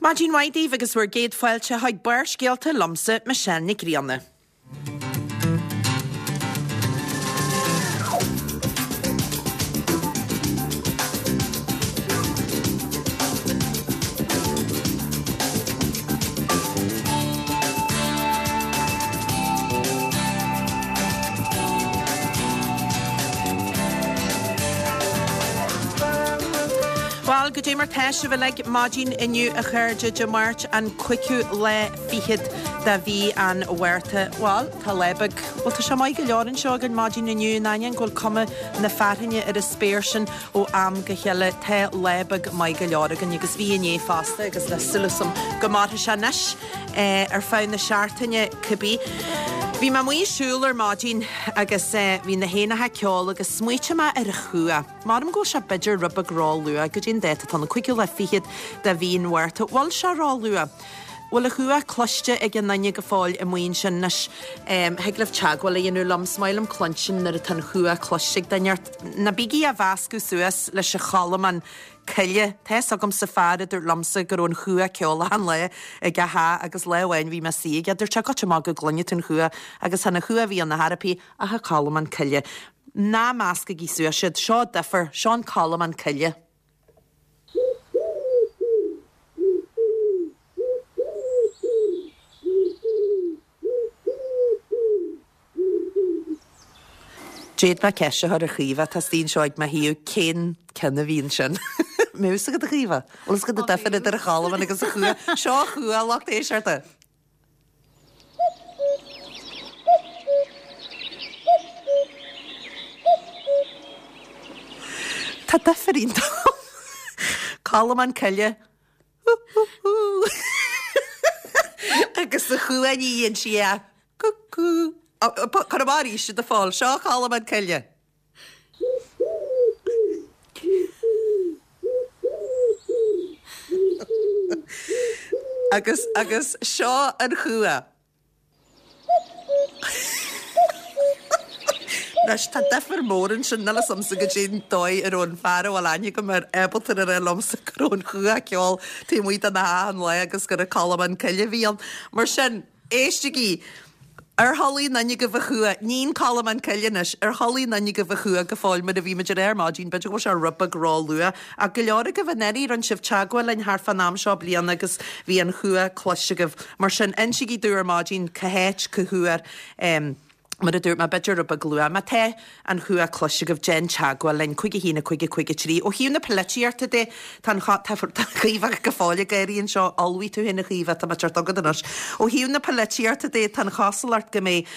Maidin mhaith daoibh agus bhur gcéad fáilte chuig Barrscéalta liomsa, Michelle Nic Grianna. Bhuel, goidé mar tá sibh uilig maidin inniu a chairde, Dé Máirt an cúigiú lá fichead de mhí an Mhárta. Bhuel, tá lá beag, bhuel tá sé maith go leor anseo againn maidin inniu, in ainneoin go bhfuil cuma na fearthainne ar an spéir sin ó am go chéile, tá lá beag maith go leor againn agus bhí inné fosta agus tá súil agam go mairfidh sé anois ar feadh na seachtaine cibé. Bhí mé amuigh ag siúl ar maidin agus bhí na héanacha ag ceol agus smaoitigh mé ar an chumha. Measaim go bhfuil sé b'fhéidir rud beag ró-luath, goidé an dáta atá ann, an cúigiú lá fichead de mhí an Mhárta. Bhfuil sé ró-luath? Bhfuil an chuach cloiste ag aon duine go fóill amuigh ansin anois? Thig libh teagmháil a dhéanamh liom, is maith liom cluinstin nuair atá an chuach cloiste ag duine ort. Ná bígí á mheascadh suas leis an cholmán coille. Tá fhios agamsa fear a dúirt liomsa go raibh an chuach ag ceol achan lá ag a theach agus lá amháin bhí mé suí aige, dúirt sé goitse amach go gcluinfidh tú an chuach agus chan an chuach a bhí ann ar chor ar bith ach an colmán coille. Ná meascaigí suas iad. Seo difear. Seo an colmán coille. D'fhéadfá ceist a chur ar Chaoimhe atá istigh anseo ag mo thaobh cén ceann a bhí ansin. Mbeadh fhios agat a Chaoimhe? Bhfuil fhios agat an difear idir an cholmán agus an chuach? Seo an chuach, a lucht éisteachta. Tá difear iontach ann. Colmán coille. Hú-hú-hú. Agus an chuach ní dhéan sí ach cú-cú. Cuir amach arís a Phóil. Seo colmán coille. Agus, agus seo an chuach. Anois, tá difear mór ansin, níl 'fhios a'msa goidé an dóigh a raibh an fear a bhfuil aithne agam air ábalta a rá liomsa go raibh an chuach ag ceol taobh amuigh dena theach achan lá agus gur an colmán coille a bhí ann. Mar sin, Éistigí! Ar chuala aon duine agaibh an chuach? Ní an colmán coille anois. Ar chuala aon duine agaibh an chuach go fóill mar a bhí muid a rá ar maidin, b'fhéidir go bhfuil sé rud beag ró-luath. Ach go leor agaibh anuraidh, rinne sibh teagmháil linn thart fán am seo bliana agus bhí an chuach cloiste agaibh. Mar sin, insígí domh ar maidin cá háit, cá huair, Mar a dúirt mé, b'fhéidir rud beag luath. Má tá an chuach cloiste agaibh, déan teagmháil linn, 5 1 5 5 3. Ó thaobh na polaitíochta de, tá an tá Caoimhe go fóill ag gáirí anseo, ullmhaigh tú féin a Chaoimhe, tá mé ag teacht chugat anois. Ó thaobh na polaitíochta de, tá an chosúlacht go mbeidh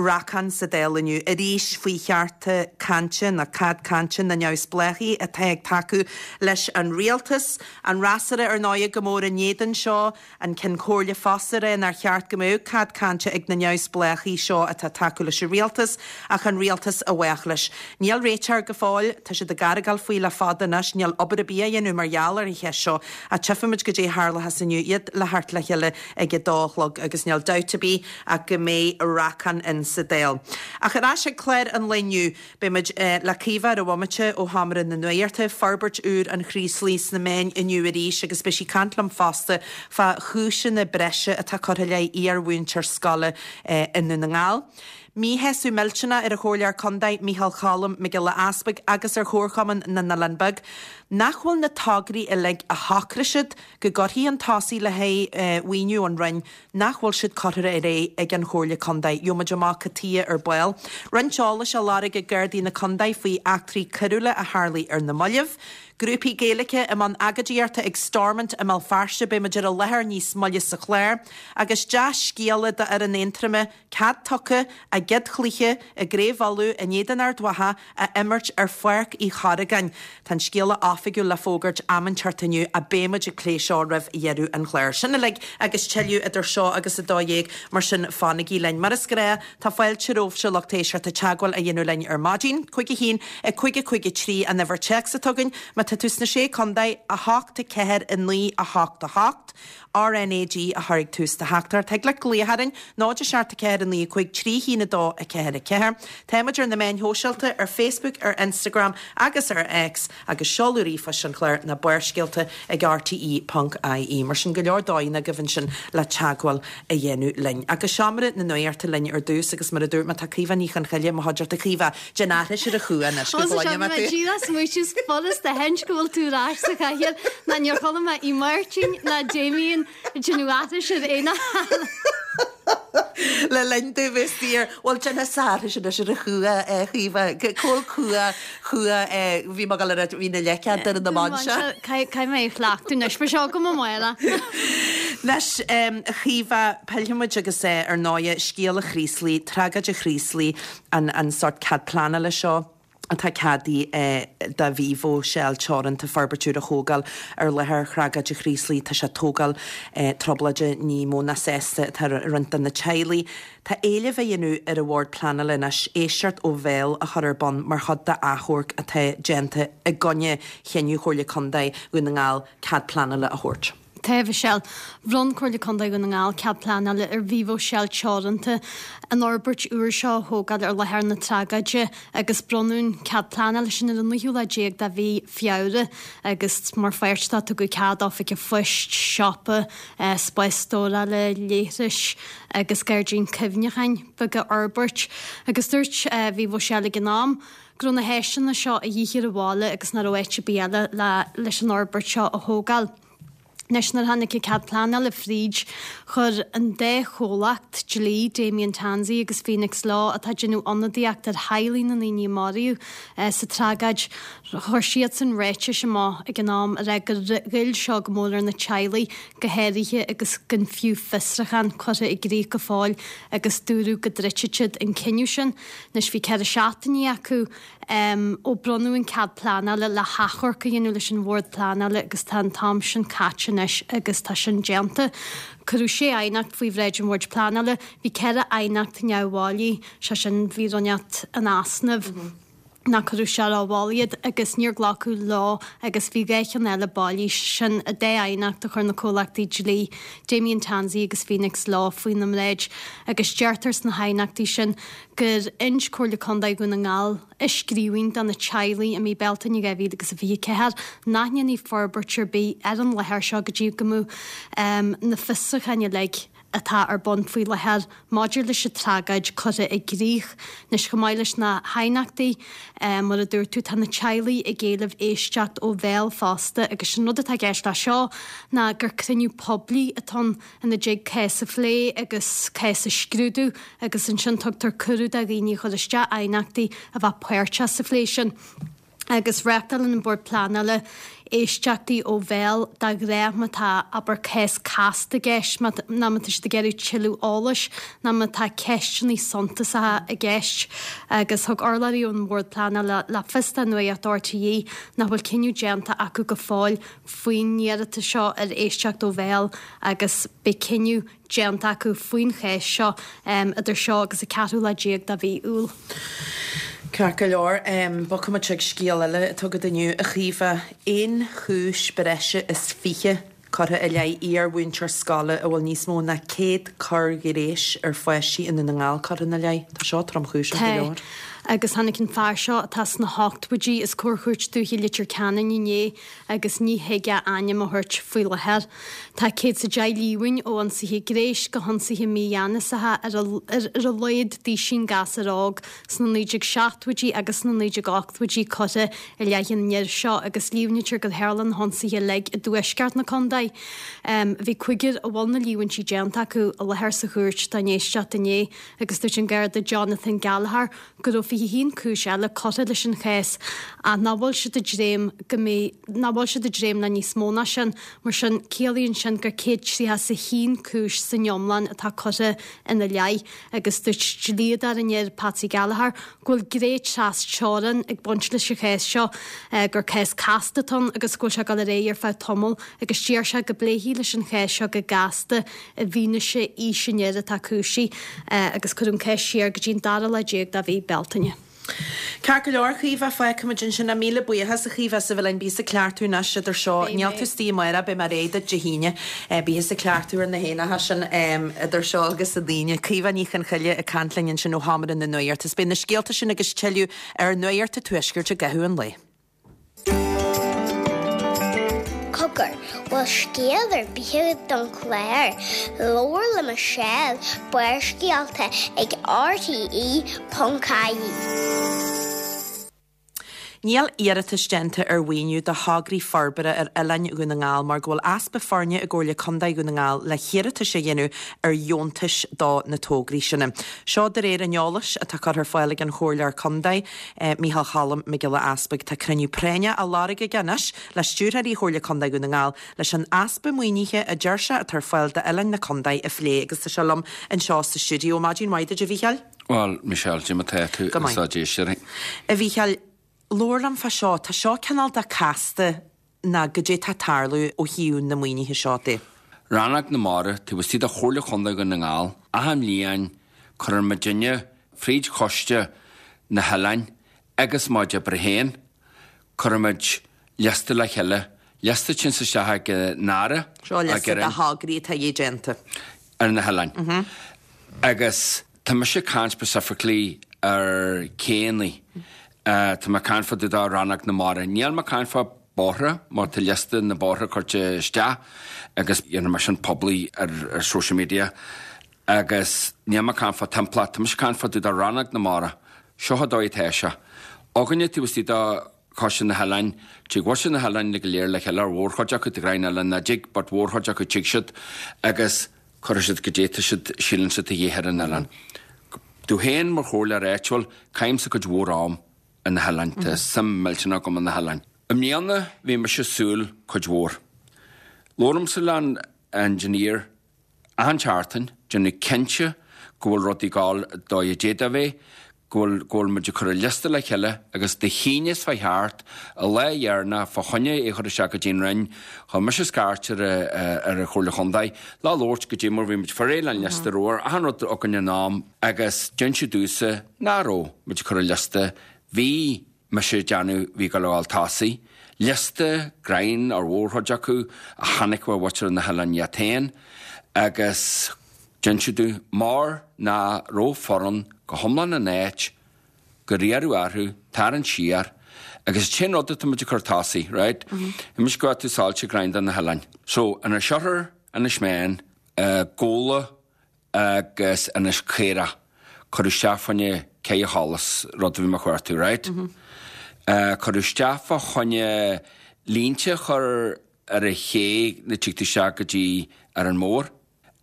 racán sa Dáil inniu arís faoi chearta cainte nó cead cainte na neamhspleáchaí atá ag tacú leis an rialtas. An fhreasúra ar ndóigh go mór in éadan seo. An Ceann Comhairle fosta ag rá nár cheart go mbeadh cead cainte ag na neamhspleáchaí seo atá ag tacú leis an rialtas ach an rialtas a bheadh leis. Níl réiteach air go fóill, tá siad ag argáil faoi le fada anois, níl obair ar bith á dhéanamh mar gheall ar an cheist seo ach tchífimid goidé a tharlóchas inniu, iad le theacht le chéile ag a dó a chlog agus níl dabht ar bith ach go mbeidh racán in sa Dáil. Ach ar ais ag clár an lae inniu. Beidh muid le Caoimhe ar an bhomaite ó Sheomra na Nuachta, forbairt úr an Chraoslaigh sna meáin inniu arís agus beidh sí ag caint liom fosta fá chúiseanna breise atá curtha i leith iar-mhúinteoir scoile i nDún na nGall. Míshásamh millteanach ar an Chomhairleoir Contae Micheál Cholm Mac Giolla Easpaig agus ar Chomharchumann na nOileán Beag nach bhfuil na tograí uilig a shocraigh siad go gcuirfí chun tosaigh le haghaidh mhaoiniú ón Roinn nach bhfuil siad curtha ar aghaidh ag an Chomhairle Contae. Gheobhaimid amach cad tuighe ar ball. Roinnt eolais á lorg ag Gardaí na Contae faoi eachtraí coiriúla a tharlaigh ar na mallaibh. Grúpaí Gaeilge i mbun agóidíochta ag Stormont i mBéal Feirste, beidh muid ar an láthair níos moille sa chlár. Agus dea-scéala d'fhoireann Aontroma, cead tugtha a gcéad chluiche i gCraobh Uladh in éadan Ard Mhacha a imirt ar Pháirc Uí Chorragáin. Tá an scéala oifigiúil le fógairt am inteacht inniu ach beidh muid ag plé seo roimh dheireadh an chláir. Sin uilig agus tuilleadh idir seo agus 12, mar sin fanaigí linn. Mar is gnáth, tá fáilte romhaibhse lucht éisteachta teagmháil a dhéanamh linn ar maidin. 5 1 5 5 3 an uimhir téacs atá againn. Má tá tú sna Sé Contae, 8 4 9 8 8. RnaG a chur ag tús do theachtaireacht. Thig leat glaoch orainn, 0 7 4 9 5 3 1 2 4 4. Táimid ar na meáin shóisialta, ar Facebook, ar Instagram agus ar X, agus seoladh. ríomhphoist an chláir ná Barrscéalta ag rte ponc ie. Mar sin, go leor dóigheanna agaibh ansin le teagmháil a dhéanamh linn. Agus Seomra na Nuachta linn ar dtús agus mar a dúirt mé tá Caoimhe Ní Chonchoille i mo chuideachta. Caoimhe, déan aithris ar an chumha anois go gcluine mé tú. Díreach smaoitiú is furasta a aithint go bhfuil tú ar ais sa chathaoir ná níor chuala mé í Máirtín ná Damien ag déanamh aithris ar aon Le linn domh bheith saor. Bhuel, déanfadh aithris anois ar an chumha, a Chaoimhe. Cá bhfuil cumha, chumha, bhí mé ag dul a rá, bhí na leiceann ar na mban seo. Caithfidh mé é a chleachtadh anois, beidh seo agam amárach. Anois, a Chaoimhe, pillfidh muid agus ar ndóighe, scéal an Chraoslaigh, tragóid an Chraoslaigh, an sórt cead pleanála seo. atá ceadaithe do Vivo Shell Teoranta forbairt úr a thógáil ar láthair thragóid an Chraoslaigh. Tá sé ag tógáil trioblóide ní mó ná sásta atá roinnt de na teaghlaigh. Tá éileamh á dhéanamh ar an Bhord Pleanála anois éisteacht ó bhéal a chur ar bun mar chuid d'achomharc atá déanta i gcoinne chinneadh Chomhairle Contae Dhún na nGall cead pleanála a thabhairt. Tá, a Mhichelle. Bhronn Comhairle Contae Dhún na nGall cead pleanála ar Vivo Shell Teoranta an fhorbairt úr seo a thógáil ar láthair na tragóide agus bronnadh an cead pleanála sin ar an naoú lá déag de mhí Feabhra agus mar pháirt de tugadh cead oifig an phoist, siopa, spás stórála, leithris agus gairdín cuimhneacháin beag a fhorbairt agus dúirt Vivo Shell ag an am go raibh na háiseanna seo a dhíth ar an bhaile agus nach raibh áit ar bith eile leis an fhorbairt seo a thógáil. Anois nuair a tháinig an cead pleanála fríd, chuir an dá chomhlacht dlí, Damien Tansey agus Phoenix Law, atá ag déanamh ionadaíocht ar theaghlaigh na ndaoine a maraíodh sa tragóid, chuir siadsan ráitis amach ag an am a rá gur ghoill seo go mór ar na teaghlaigh go háirithe agus gan fiú fiosrachán curtha i gcrích go fóill agus dúradh go dtroidfeadh siad an cinneadh sin. Anois bhí 4 seachtainí acu ó bronnadh an cead pleanála le hachomharc a dhéanamh leis an Bhord Pleanála agus tá an t-am sin caite anois agus tá sin déanta. Cuireadh sé aighneacht faoi bhráid an Bhoird Pleanála. Bhí 4 aighneacht neamhbhailí, sé sin bhí rud inteacht in easnamh nach cuireadh sé rómhall iad agus níor glacadh leo agus bhí 2 cheann eile bailí, sin an dá aighneacht a chuir na comhlachtaí dlí, Damien Tansey agus Phoenix Law, faoina mbráid agus deirtear sna haighneachtaí sin gur inis Comhairle Contae Dhún na nGall i scríbhinn do na teaghlaigh i mí Bealtaine 2024 nach ndéanfaí forbairt ar bith ar an láthair seo go dtí go mbeadh na fiosrúcháin uilig atá ar bun faoi láthair maidir leis an tragóid curtha i gcrích. Anois, chomh maith leis na haighneachtaí, mar a dúirt tú, tá na teaghlaigh ag éileamh éisteacht ó bhéal fosta agus an rud atá i gceist leis seo ná gur cruinniú poiblí atá ann ina dtig cás a phlé agus cás a scrúdú agus ansin tugtar cuireadh do dhaoine a chuir isteach aighneachtaí a bheith páirteach sa phlé sin. Agus reáchtálann an Bord Pleanála éisteachtaí ó bhéal de ghnáth má tá, abair, cás casta i gceist, má nó má tá siad ag iarraidh tuilleadh eolais nó má tá ceisteanna suntasacha i gceist. Agus thug urlabhraí ón Bhord Pleanála le fios do Nuacht RTÉ nach bhfuil cinneadh déanta acu go fóill faoin iarratas seo ar éisteacht ó bhéal agus beidh cinneadh déanta acu faoin chás seo idir seo agus an ceathrú lá déag de mhí Iúil. Ceart go leor, bogfaidh muid chuig scéal eile atá agat inniu, a Chaoimhe. Aon chúis breise is 20 curtha i leith iar-mhúinteoir scoile a bhfuil níos mó ná 100 coir ghnéis ar pháistí i nDún na nGall curtha ina leith. Tá seo tromchúiseach go leor. Tá. Agus tháinig an fear seo atá sna hochtóidí os comhair Chúirt Dúiche Leitir Ceanainn inné agus ní thig a ainm a thabhairt faoi láthair. Tá 110 líomhain ó ionsaithe gnéis go hionsaithe mígheanasacha ar ar a laghad duisín gasúr óg sna 1970idí agus sna 1980idí curtha i leith an fhir seo agus líomhnaítear gur tharla na hionsaithe uilig i dtuaisceart na contae. Bhí cúigear a bhfuil na líomhaintí déanta acu i láthair sa chúirt don éisteacht inné agus dúirt an Garda Jonathan Gallagher go raibh 21 cúis eile curtha leis an chás ach nach bhfuil siad ag dréim go mbeidh, nach bhfuil siad ag dréim le níos mó ná sin. Mar sin, ciallaíonn sin gur 131 cúis san iomlán atá curtha ina leith agus dúirt dlíodóir an fhir, Patsy Gallagher, go bhfuil gné tras-teorann ag baint leis an chás seo, gur cás casta atá ann agus go bhfuil sé ag dul ar aghaidh ar feadh tamaill agus deir sé go bpléifí leis an chás seo go gasta i bhfianaise aois an fhir atá cúisithe agus cuireadh an cás siar go dtí an dara lá déag de mhí Bealtaine. Ceart go leor, a Chaoimhe, fágfaimid ansin é. Míle buíochas, a Chaoimhe, as a bheith linn. Bí thusa ag cleachtadh anois idir seo. Beidh Níl mé. tú istigh amárach, beidh mé réidh duit Dé hAoine. Bí thusa ag cleachtadh ar na héanacha sin idir seo agus an Aoine. Caoimhe Ní Chonchoille ag caint linn ansin ó Sheomra na Nuachta. Is beidh na scéalta sin agus tuilleadh ar Nuacht an Tuaiscirt i gcaitheamh an lae. Cogar, bhfuil scéal ar bith agat don chlár? Labhair le Michelle, Barrscéalta ag RTE.ie. Níl iarratas déanta ar mhaoiniú do thograí forbartha ar oileáin Dhún na nGall mar go bhfuil easpa foirne i gComhairle Contae Dhún na nGall le hiarratais a dhéanamh ar dheontais do na tograí sin. Seo de réir an eolais atá curtha ar fáil ag an Chomhairleoir Contae, Micheál Cholm Mac Giolla Easpaig. Tá cruinniú práinneach á lorg aige anois le Stiúrthóirí Chomhairle Contae Dhún na nGall leis an easpa maoinithe a deir sé atá ar fáil d'oileáin na contae a phlé agus tá sé liom anseo sa stiúideo. Maidin mhaith duit a Mhícheáil. Bhuel, Michelle, cad é mar tá tú Go maith. agus a d'éisteoirí? A Mhícheáil, labhair liom fá seo. Tá seo cineál de casta ná goidé tá ag tarlú ó thaobh na maoinithe seo de. Rannóg na Mara, taobh istigh de Chomhairle Chontae Dhún na nGall, achan bhliain cuireann muidinne fríd choiste na hoileáin agus mo chuid oibre féin, cuireann muid liosta le chéile, liosta a théanns isteach ag an Aire, Seo liosta de thograí atá a bheith déanta. ar na hoileáin. Agus tá mise ag caint specifically ar céanna. Tá mé ag caint fá dtaobh de Rannóg na Mara. Níl mé ag caint fá bóithre mar tá liosta na bóithre curtha isteach agus dhéanfaidh mé sin poiblí ar social media. Agus níl mé ag caint fá timpeallacht, tá mise ag caint fá dtaobh de Rannóg na Mara. Seo an dóigh atá sé. Againne taobh istigh de Choiste na hOileáin, tig muintir na hOileáin go léir le chéile, ar mhórchuid acu, tá greim eile ná dtig, but mhórchuid acu tig siad agus cuirfidh siad goidé tá siad, síleann siad a dhíth ar an oileán. Domh féin mar chomhairleoir áitiúil, caithimse cuid mhór am ar na hoileáin, tá suim millteanach agam in na hoileáin. I mbliana bhí mise ag súil cuid mhór. Labhraímse le an engineer Achan tseachtain, déanamh cinnte go bhfuil rudaí ag gabháil dóigh a d'fhéadfadh a bheith, go bhfuil, go bhfuil muid ag cur an liosta le chéile agus Dé hAoine is fá cheart, an lá dheireanach fá choinne é a chur isteach go dtí an Roinn, chuir mise scairt ar ar an Chomhairle Chontae le labhairt goidé mar bhí muid fáil réidh le an liosta, raibh achan rud againn in am agus d'inseadh domhsa nach raibh muid ag cur an liosta, bhí. mise ag déanamh bhí ag dul a ghabháil tosaigh. Liosta greim ar mhórchuid acu a chonaic ó mhuintir na hoileáin iad féin agus d'inseadh domh mar nach raibh foireann go hiomlán in áit gur iarradh orthu tarraingt siar agus an t-aon rud atá muid ag cur tosaigh, right? Inis go tú sáilte greim do na hoileáin. So, Inis Oirthir, Inis Meáin, Gabhla, agus Inis Caorach, cuireadh isteach fá choinne Cé Sholais, rud a bhí mé a chuartú, right? Cuireadh isteach fá choinne línte a chur ar an ché nuair a tig tú isteach go dtí Árainn Mhór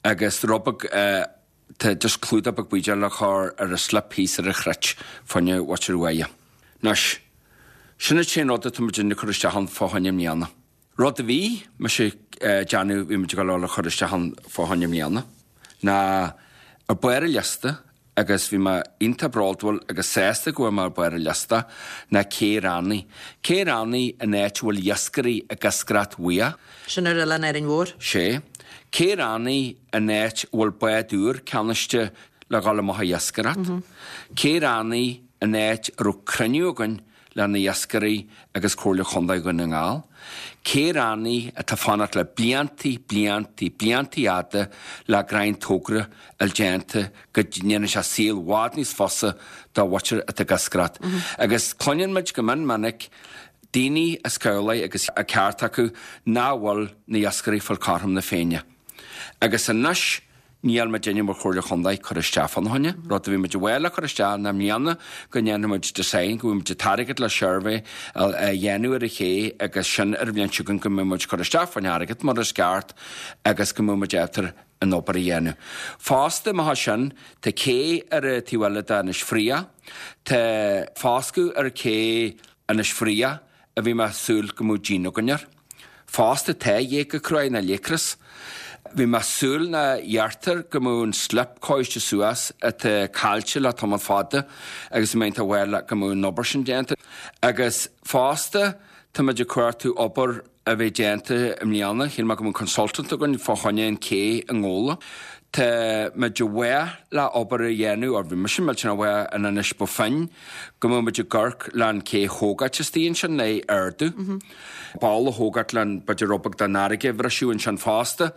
agus rud beag, tá just clúdach beag buidéil le cur ar an slip thíos ar an chruit fá choinne mhuintir Uaighe. Anois, sin an t-aon rud atá muid ag cur isteach ann fá choinne i mbliana. Rud a bhí mise ag déanamh, bhí muid ag dul a chur isteach ann fá choinne i mbliana, ná ar barr an liosta, agus bhí mé iontach bródúil agus sásta go bhfuil mé ar barr an liosta, ná Cé Raithní. Cé Raithní an áit a bhfuil iascairí ag iascaireacht bhuíoch. Sin ar Oileán Árainn Mhór. Sé. Cé Raithní an áit a bhfuil bád úr ceannaiste le dhul amach ag iascaireacht. Cé Raithní an áit a raibh cruinniú againn le na iascairí agus Comhairle Chontae Dhún na nGall, Cé Raithní atá fanacht le bliantaí, bliantaí, bliantaí fhada le greim togra a fháil déanta go ndéanann sé saol bhfad níos fusa do mhuintir atá ag iascaireacht. Agus cluineann muid go mion minic daoine as cabhlaigh agus a ceart acu nach bhfuil na iascairí fáil cothrom na Féinne. Agus anois Níl muidinne mar Chomhairle Chontae cur isteach fána choinne. Rud a bhí muid ag gabháil le cur isteach ná i mbliana go ndéanfaidh muid design, go bhfaighidh muid an t-airgead le suirbhé a dhéanamh ar an ché agus sin ar an bhliain seo chugainn go mbeidh muid cur isteach fán airgead mar is ceart agus go mbeidh muid ábalta an obair a dhéanamh. Fosta, má tá sin, tá cé ar an taobh eile d'Inis Fraoch, tá foscadh ar ché Inis Fraoch a bhí mé ag súil go mbeadh díon againn air. Fosta tá ghéaga cruaidh ná léicris. Bhí mé ag súil ná iarrtar go mbeadh an slip coiste suas atá caillte le tamall fada agus bhí mé iontach bhuel go mbeadh an obair sin déanta. Agus fosta tá muid ag cuartú obair a bheith déanta i mbliana, shíl mé go mbeadh consultant againn fá choinne an cé i nGabhla. Tá muid i bhfách le obair a dhéanamh, or bhí mise millteanach i bhfách in Inis Bó Finne, go mbeadh muid ag amharc le an cé thógáilt istigh ansin le ardú. Balla a thógáilt le an b'fhéidir rud beag den fharraige a bhriseadh ansin fosta.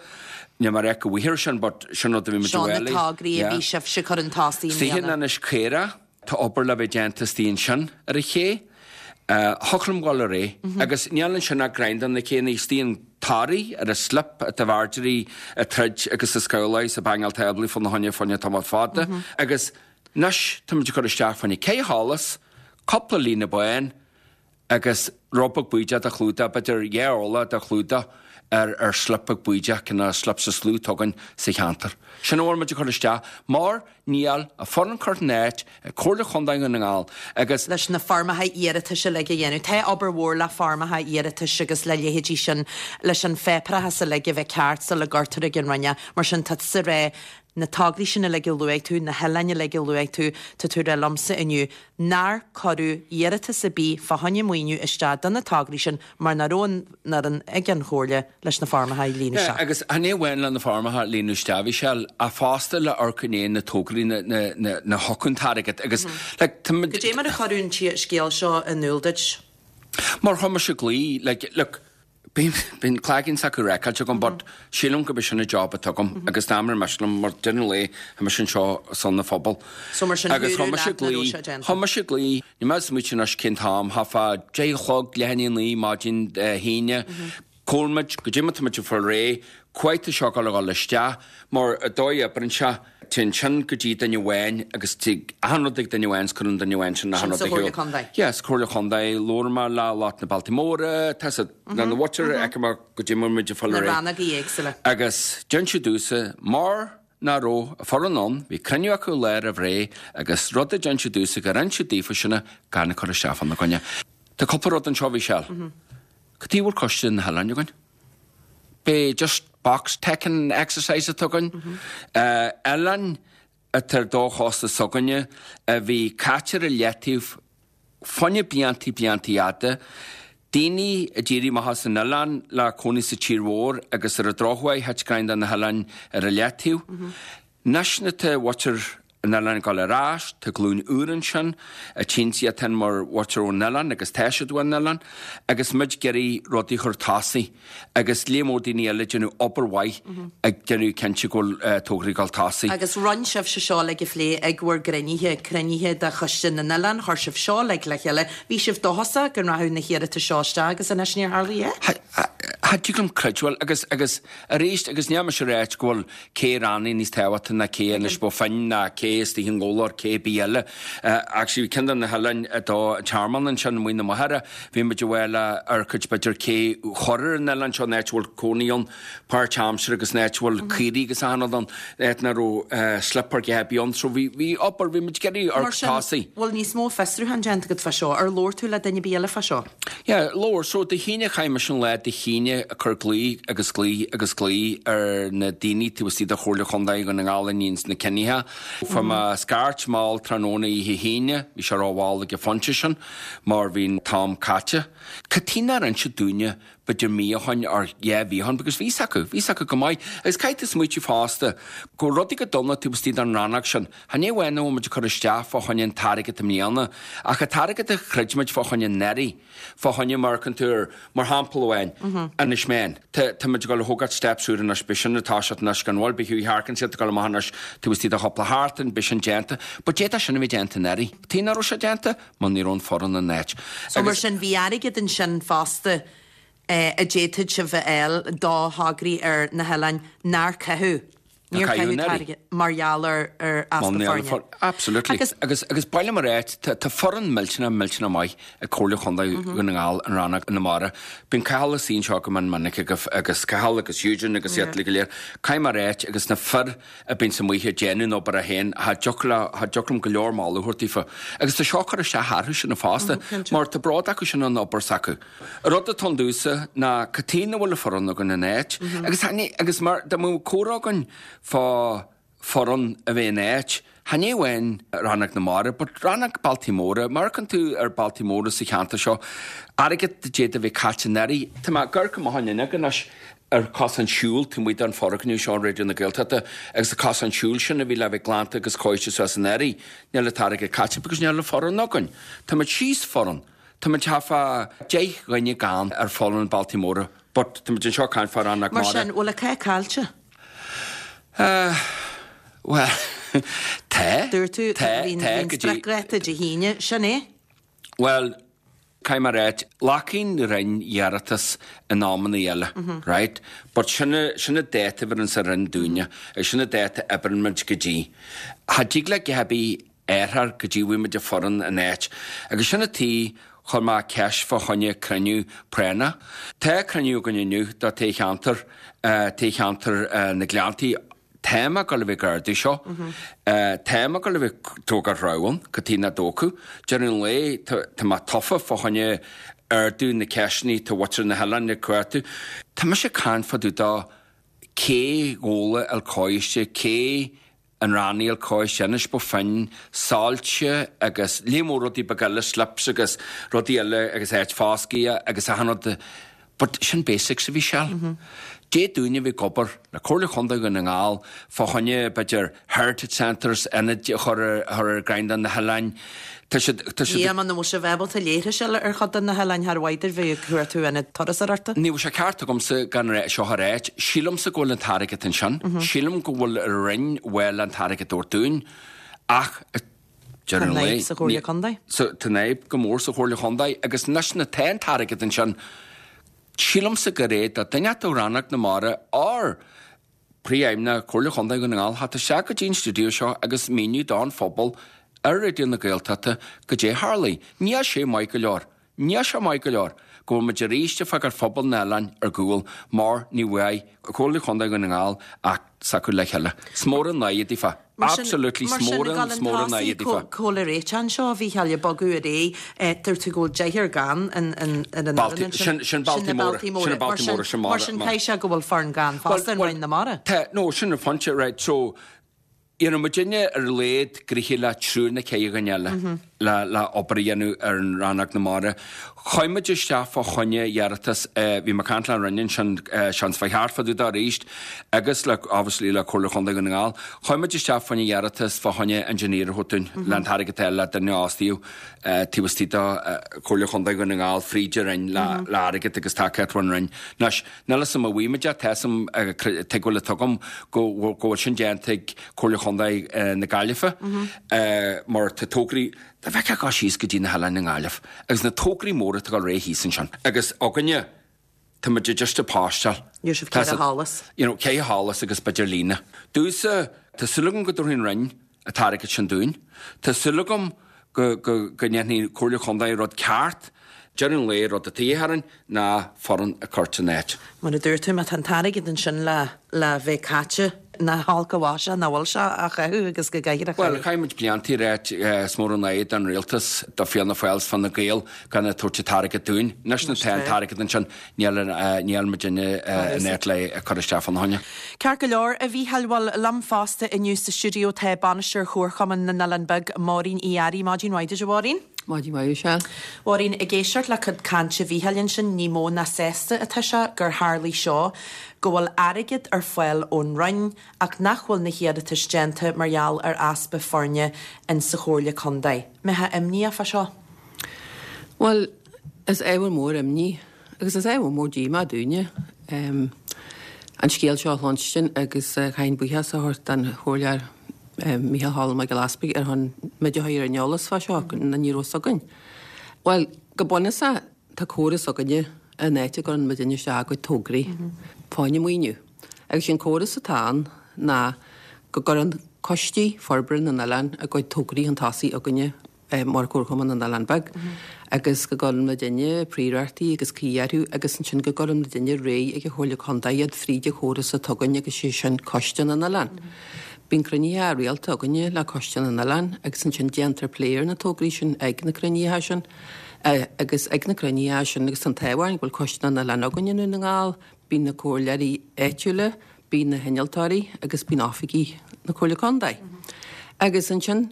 Níl mé ag rá go bhfaighfear sin but sin rud a bhí muid Seo a na bhfáil. tograí a bhí sibhse ag cur chun tosaigh i Istigh in mbliana. Inis Caorach, tá obair le bheith déanta istigh ansin ar an ché. Thiocfadh liom dhul ar aghaidh. Agus níl ansin ach greim de na céanna istigh in. Toraigh, ar an slip atá bhfeardearaí ag troid agus ag scabhláil is ag bangáil táblaí fá na choinne fá choinne tamall fada agus anois tá muid ag cur isteach fá choinne cé sholas, cúpla líne bán agus rud beag bídeach de chlúdach, b'fhéidir dhá orlach de chlúdach ar ar slip beag bídeach, cineál slip is lú atá againn sa cheantar. Sin a bhfuil muid ag cur isteach mar níl an foireann curtha in áit ag Comhairle Chontae Dhún na nGall agus. leis na foirmeacha iarratais uilig a dhéanamh. Tá obair mhór le foirmeacha iarratais agus le leithéidí sin, leis an pháipéarachas uilig a bheith ceart sula gcuirtear ag an Roinn é. Mar sin, tá tusa ag rá, na tograí sin uilig a luaigh tú, na hoileáin uilig a luaigh tú, tá tú ag rá liomsa inniu nár cuireadh iarratas ar bith fá choinne maoiniú isteach do na tograí sin mar nach raibh an fhoireann ag an Chomhairle leis na foirmeacha a líonadh isteach. Agus chan é amháin le na foirmeacha a líonadh isteach, a Mhichelle, ach fosta le amharc i ndiaidh na tograí na thiocfadh an t-airgead agus like tá muid. Goidé mar a cuireadh an scéal seo in iúl duit? Mar chuir mise glao, like, look, Bíonn cloigeann s'acu raiceáilte agam but sílim gurb é sin an job atá agam agus dá mba miste liom mar deireadh an lae tá mise anseo ar son an phobail. So mar sin Agus dúradh chuir mise leat nach raibh glao, sé déanta. chuir mise glao, níl mé ag smaoitiú anois cén t-am, thart fá 10 a chlog, leath i ndiaidh a 9 maidin Dé hAoine, cá bhfuil muid, goidé mar tá muid ag fáil réidh, cá bhfad tá seo ag dul a dhul isteach, mar an dóigh a oibreann sé, Téann sin go dtí duine amháin agus tig achan rud ag duine amháin 's cuireann duine amháin sin achan Sin rud sa ar shiúl. Chomhairle Contae. Yeah, sa Chomhairle Chontae, labhair mé le lucht na Bealtaí Móra, tá siad le na mhuintir, fheicfidh mé goidé mar muid ag fáil Na ar aghaidh. rannógaí éagsúla. Agus d'inis siad domhsa mar nach raibh an foireann ann, bhí cruinniú acu lá roimh ré agus rud a d'inis siad domhsa gur inis siad daofa sin gan cur isteach fána gcoinne. Tá cúpla rud anseo a Mhichelle. Cad chuige a bhfuil Coiste na hOileáin againn? B'é just box ticking exercise atá againn. Oileáin atá ar do chósta s'againne a bhí caite ar a leataobh fá choinne bliantaí bliantaí fhada. Daoine a d'éirigh amach as an oileán le cónaí sa tír mhór agus ar an drochuair thit greim de na hoileáin ar a leataobh. Anois nuair atá muintir an oileáin ag dul ar ais, tá glúin úr ansin, a tchíonn siad féin mar mhuintir ón oileán agus tá siad ón oileán, agus muid ag iarraidh rudaí a chur tosaigh agus léar mór daoine eile ag déanamh obair mhaith ag déanamh cinnte go bhfuil tograí ag dul tosaigh. Agus rinne sibhse seo uilig a phlé ag bhur gcruinnithe, cruinnithe de Choiste na nOileán, chuir sibh seo uilig le chéile, bhí sibh dóchasach go rachadh na hiarratais seo isteach agus anois níor tharla a dhath. Cha dtig liom creidbheáil agus, agus arís agus níl mise ag ráit go bhfuil Cé Rannaigh níos tábhachtaí ná cé Inis Bó Finne ná cé istigh i nGabhla or cé bith eile. Actually bhí ceann de na hoileáin i dó an Tearmann ansin amuigh na Machaire, bhí muid ag fáil ar cuid b'fhéidir cé chur ar an oileán seo an áit a bhfuil cónaí ann páirt-aimsire agus an áit a bhfuil caoirigh agus achan rud ann, áit nach raibh slip ar dhath ar bith ann. So bhí bhí obair, bhí muid ag iarraidh Mar sin, tosaigh. bhfuil níos mó fiosrúchán déanta agat fá seo? Ar labhair tú le duine ar bith eile fá seo? Yeah, labhair. So, Dé hAoine, chaith mise an lá Dé hAoine ag cur glao agus glao agus glao ar na daoine taobh istigh de Chomhairle Chontae Dhún na nGall a níonns na cinnithe. Fuair mé scairt mall tráthnóna oíche hAoine, bhí sé ró-mhall ag an phointe sin mar bhí an t-am caite. Cad chuige nár inseadh dúinne b'fhéidir mí ó shoin or dhá mhí ó shoin because bhí 's acu, bhí 's acu go maith. Agus caithfidh tú smaoitiú fosta go raibh rudaí go dona taobh istigh den rannóg sin. Chan é amháin a bhfuil muid ag cur isteach fá choinne an t-airgead i mbliana, ach an t-airgead a chreid muid fá choinne anuraidh, fá choinne mar chun tú ar, mar shampla amháin, Inis Meáin. Tá, tá muid ag dul a thógáil steps úr anois, beidh sin ag toiseacht anois gan mhoill, beidh Hughie Harkins ag dul amach anois taobh istigh de chúpla sheachtain, beidh sin déanta. But d'fhéadfadh sin a bheith déanta anuraidh. Tuige nach raibh sé déanta? Mar ní raibh an foireann in áit. So mar sin, bhí airgead ansin fosta a d'fhéadfadh sibh a fháil do thograí ar na hoileáin nár caitheadh. Níor caitheadh an t-airgead mar gheall ar easpa foirne. Absolutely. Agus agus ba mhaith liom a ráit, tá foireann millteanach, millteanach maith ag Comhairle Chontae Dhún na nGall in Rannóg na Mara. Bíonn Cathal ina suí anseo go mion minic agus Cathal agus Eugene agus iad uilig go léir. Caithfidh mé a ráit agus na fir a bíonns amuigh ag déanamh an obair féin, cha dtiocfadh le, cha dtiocfadh liom go leor moladh a thabhairt daofa. Agus tá seo ag cur isteach orthu sin fosta mar tá bród acu sin an obair s'acu. An rud atá ann domhsa ná cad chuige nach bhfuil an foireann againn in áit agus agus mar dá mbeadh comhrá againn fá foireann a bheith in áit, chan é amháin Rannóg na Mara but Rannóg Bealtaí Móra, mar amharcann tú ar Bealtaí Móra sa cheantar seo, airgead a d'fhéadfadh a bheith caite anuraidh. Tá mé ag amharc amach an fhuinneog anois ar cosán siúil taobh amuigh den foirgneamh seo Raidió na Gaeltachta agus an cosán siúil sin a bhí le bheith glanta agus cóiste suas anuraidh, níl an t-airgead caite because níl an foireann againn. Tá muid síos foireann. Tá muid thart fá 10 dhuine gann ar foireann Bealtaí Móra but tá muid anseo ag caint fá Rannóg Mar sin, bhfuil an cath caillte? Bhuel, tá. Dúirt tú, Tá, bhí tá, an go dtí. spriocdháta Dé hAoine, sin é? Bhuel. Caithfidh mé a ráit, glacann an Roinn iarratas in amannaí eile, right? But sin sin an dáta a bheireanns an Roinn dúinne agus sin an dáta a oibreann muid go dtí. Cha dtig le dhath ar bith athrú go dtí bhfaighidh muid an foireann in áit. Agus sin an tuige chuir mé ceist fá choinne cruinniú práinneach. Tá cruinniú againn inniu do toghcheantar, toghcheantar na Gleanntaí. Tá mé ag dul a bheith ag ardú seo. Tá mé ag dul a bheith ag tógáil roghann, cad tuige nach dtógfadh. Deireadh an lae, tá mé tofa fá choinne ardú na ceisteanna tá mhuintir na hoileáin ag cuartú. Tá mise ag caint fá dtaobh de cé dhóla el coiste, cé an rannaí el coiste, Inis Bó Finne, soilse agus léar mór rudaí beaga eile, slips agus rudaí eile agus áit foscaidh agus achan rud. But sin basics a Mhichelle. Dé dúinne a bheith ag obair le Comhairle Chontae Dhún na nGall fá choinne b'fhéidir heritage centres, ionaid a chur ar chur ar gcrann do na hoileáin. Tá siad, tá siad. Yeah, muna bhfuil sibh ábalta leithris eile ar chuid de na hoileáin char mhaith daoibh bheith ag cuartú ionad turasóireachta. Ní bheadh sé ceart agamsa gan seo a ráit. Sílimse go bhfuil an t-airgead ansin. Sílim go bhfuil an Roinn bhfuil an t-airgead a thabhairt dúinn ach Tá deireadh an an lae, fhadhb sa Chomhairle Contae. Tá an fhadhb go mór sa Chomhairle Chontae agus anois nuair tá an t-airgead ansin, sílimse gur é do duine ó Rannóg na Mara or Príomhfheidhmeannach Comhairle Chontae Dhún na nGall theacht isteach go dtí an stiúideo seo agus míniú don phobal ar Raidió na Gaeltachta goidé tharlaigh. Níl sé maith go leor. Níl sé maith go leor go bhfuil muid arís ag fágáil phobal na n-oileán ar gcúl mar ní bhfaighidh Comhairle Chontae Dhún na nGall ach s'acu le chéile. 'S mór an náire daofa. Absolutely 's mór an, 's mór an náire daofa. Cá bhfuil an réiteach anseo, a Mhícheáil, ag bogadh ar aghaidh, dúirt tú go bhfuil deichniúr gann ar an fhoireann ansin. Sin Sin na na Baltaí Baltaí Móra. Sin na Móra. Baltaí Móra, sin Mar sin caithfidh sé go bhfuil foireann gann fosta in Roinn na Mara. Tá, no, sin an phointe, right, so, You know, muidinne ar a laghad gnoitheach le triúr nó ceithre dhuine eile le le obair a dhéanamh ar an Rannóg na Mara. Chuaigh muid isteach fá choinne iarratas, bhí mé ag caint le an Roinn ansin, seans fá cheart fá dtaobh de arís agus le obviously le Comhairle Chontae Dhún na nGall. Chuaigh muid isteach fá choinne iarratas fá choinne engineer a thabhairt dúinn le an t-airgead a fháil le duine a fhostaíodh taobh istigh de Chomhairle Chontae Dhún na nGall fríd an Roinn le le airgead agus tacaíocht ón Roinn. Anois, Níl 'fhios a'm an bhfaighidh muid é, tá 'fhios a'm, tuigbheáil atá agam go bhfuil sin déanta ag Comhairle Chontae na Gaillimhe mar tá tograí, dá bhfeicfeá ag dul síos go dtí na hoileáin i nGaillimh agus na tograí móra atá ag dul ar aghaidh thíos ansin agus againne tá muid just ag postáil. Níl sibh ceithre sholas. You know, ceithre sholas agus b'fhéidir líne. Domhsa, tá súil agam go dtabharfaidh an Roinn an t-airgead sin dúinn. Tá súil agam go ndéanfaidh Comhairle Chontae rud ceart. Deireadh an lae, rud atá de dhíth orainn ná foireann a chur san áit. Mar a dúirt tú, má tá an t-airgead ansin le le bheith caite, nach holc an mhaise nach bhfuil sé á chaitheamh agus go gcaithfear a Bhuel, chaitheamh. chaith muid blianta ag ráit is mór an náire don rialtas, do Fianna Fáil 's Fine Gael gan a tabhairt an t-airgead dúinn. Anois nuair atá an t-airgead ansin, Níl, níl muidinne in áit le é a chur isteach fána choinne. Ceart go leor, a Mhícheáil, bhuel, liom fosta inniu sa stiúideo tá Bainisteoir Chomharchumann na nOileán Beag, Máirín Uí Fhearraigh. Maidin mhaith duit, a Mháirín. Maidin mhaith, a Mhichelle. Mháirín, ag éisteacht le cuid cainte Mhícheáil ansin, ní mó ná sásta atá sé gur tharlaigh seo, go bhfuil airgead ar fáil ón Roinn ach nach bhfuil na hiarratais déanta mar gheall ar easpa foirne in sa Chomhairle Contae. Mbeifeá imníoch fá seo? Bhuel, is ábhar mór imní agus is ábhar mór díomá dúinne an scéal seo a chluinstin agus caithfinn buíochas a thabhairt don Chomhairleoir Micheál Cholm Mac Giolla Easpaig ar shon muid a chur ar an eolas fá seo, nó ní raibh fhios againn. Bhuel, go bunúsach tá córas againne an áit a gcuireann muidinne isteach ár gcuid tograí fá choinne maoiniú. Agus sé an córas atá ann ná go gcuireann coistí forbartha na n-oileán a gcuid tograí chun tosaigh againne mar Chomharchumann na nOileán Beag agus go gcuireann muidinne príorachtaí agus caoi orthu agus ansin go gcuireann muidinne ar aghaidh ag an Chomhairle Contae iad fríd an chóras atá againn agus sé sin Coiste na nOileán. Bíonn cruinnithe rialta againne le Coiste na nOileán agus ansin déantar plé ar na tograí sin ag na cruinnithe sin agus ag na cruinnithe sin agus tá an t-ádh orainn go bhfuil Coiste na nOileán againn i nDún na nGall, bíonn na comhairleoirí áitiúla, bíonn na hinnealtóirí agus bíonn oifigigh na Comhairle Contae. Agus ansin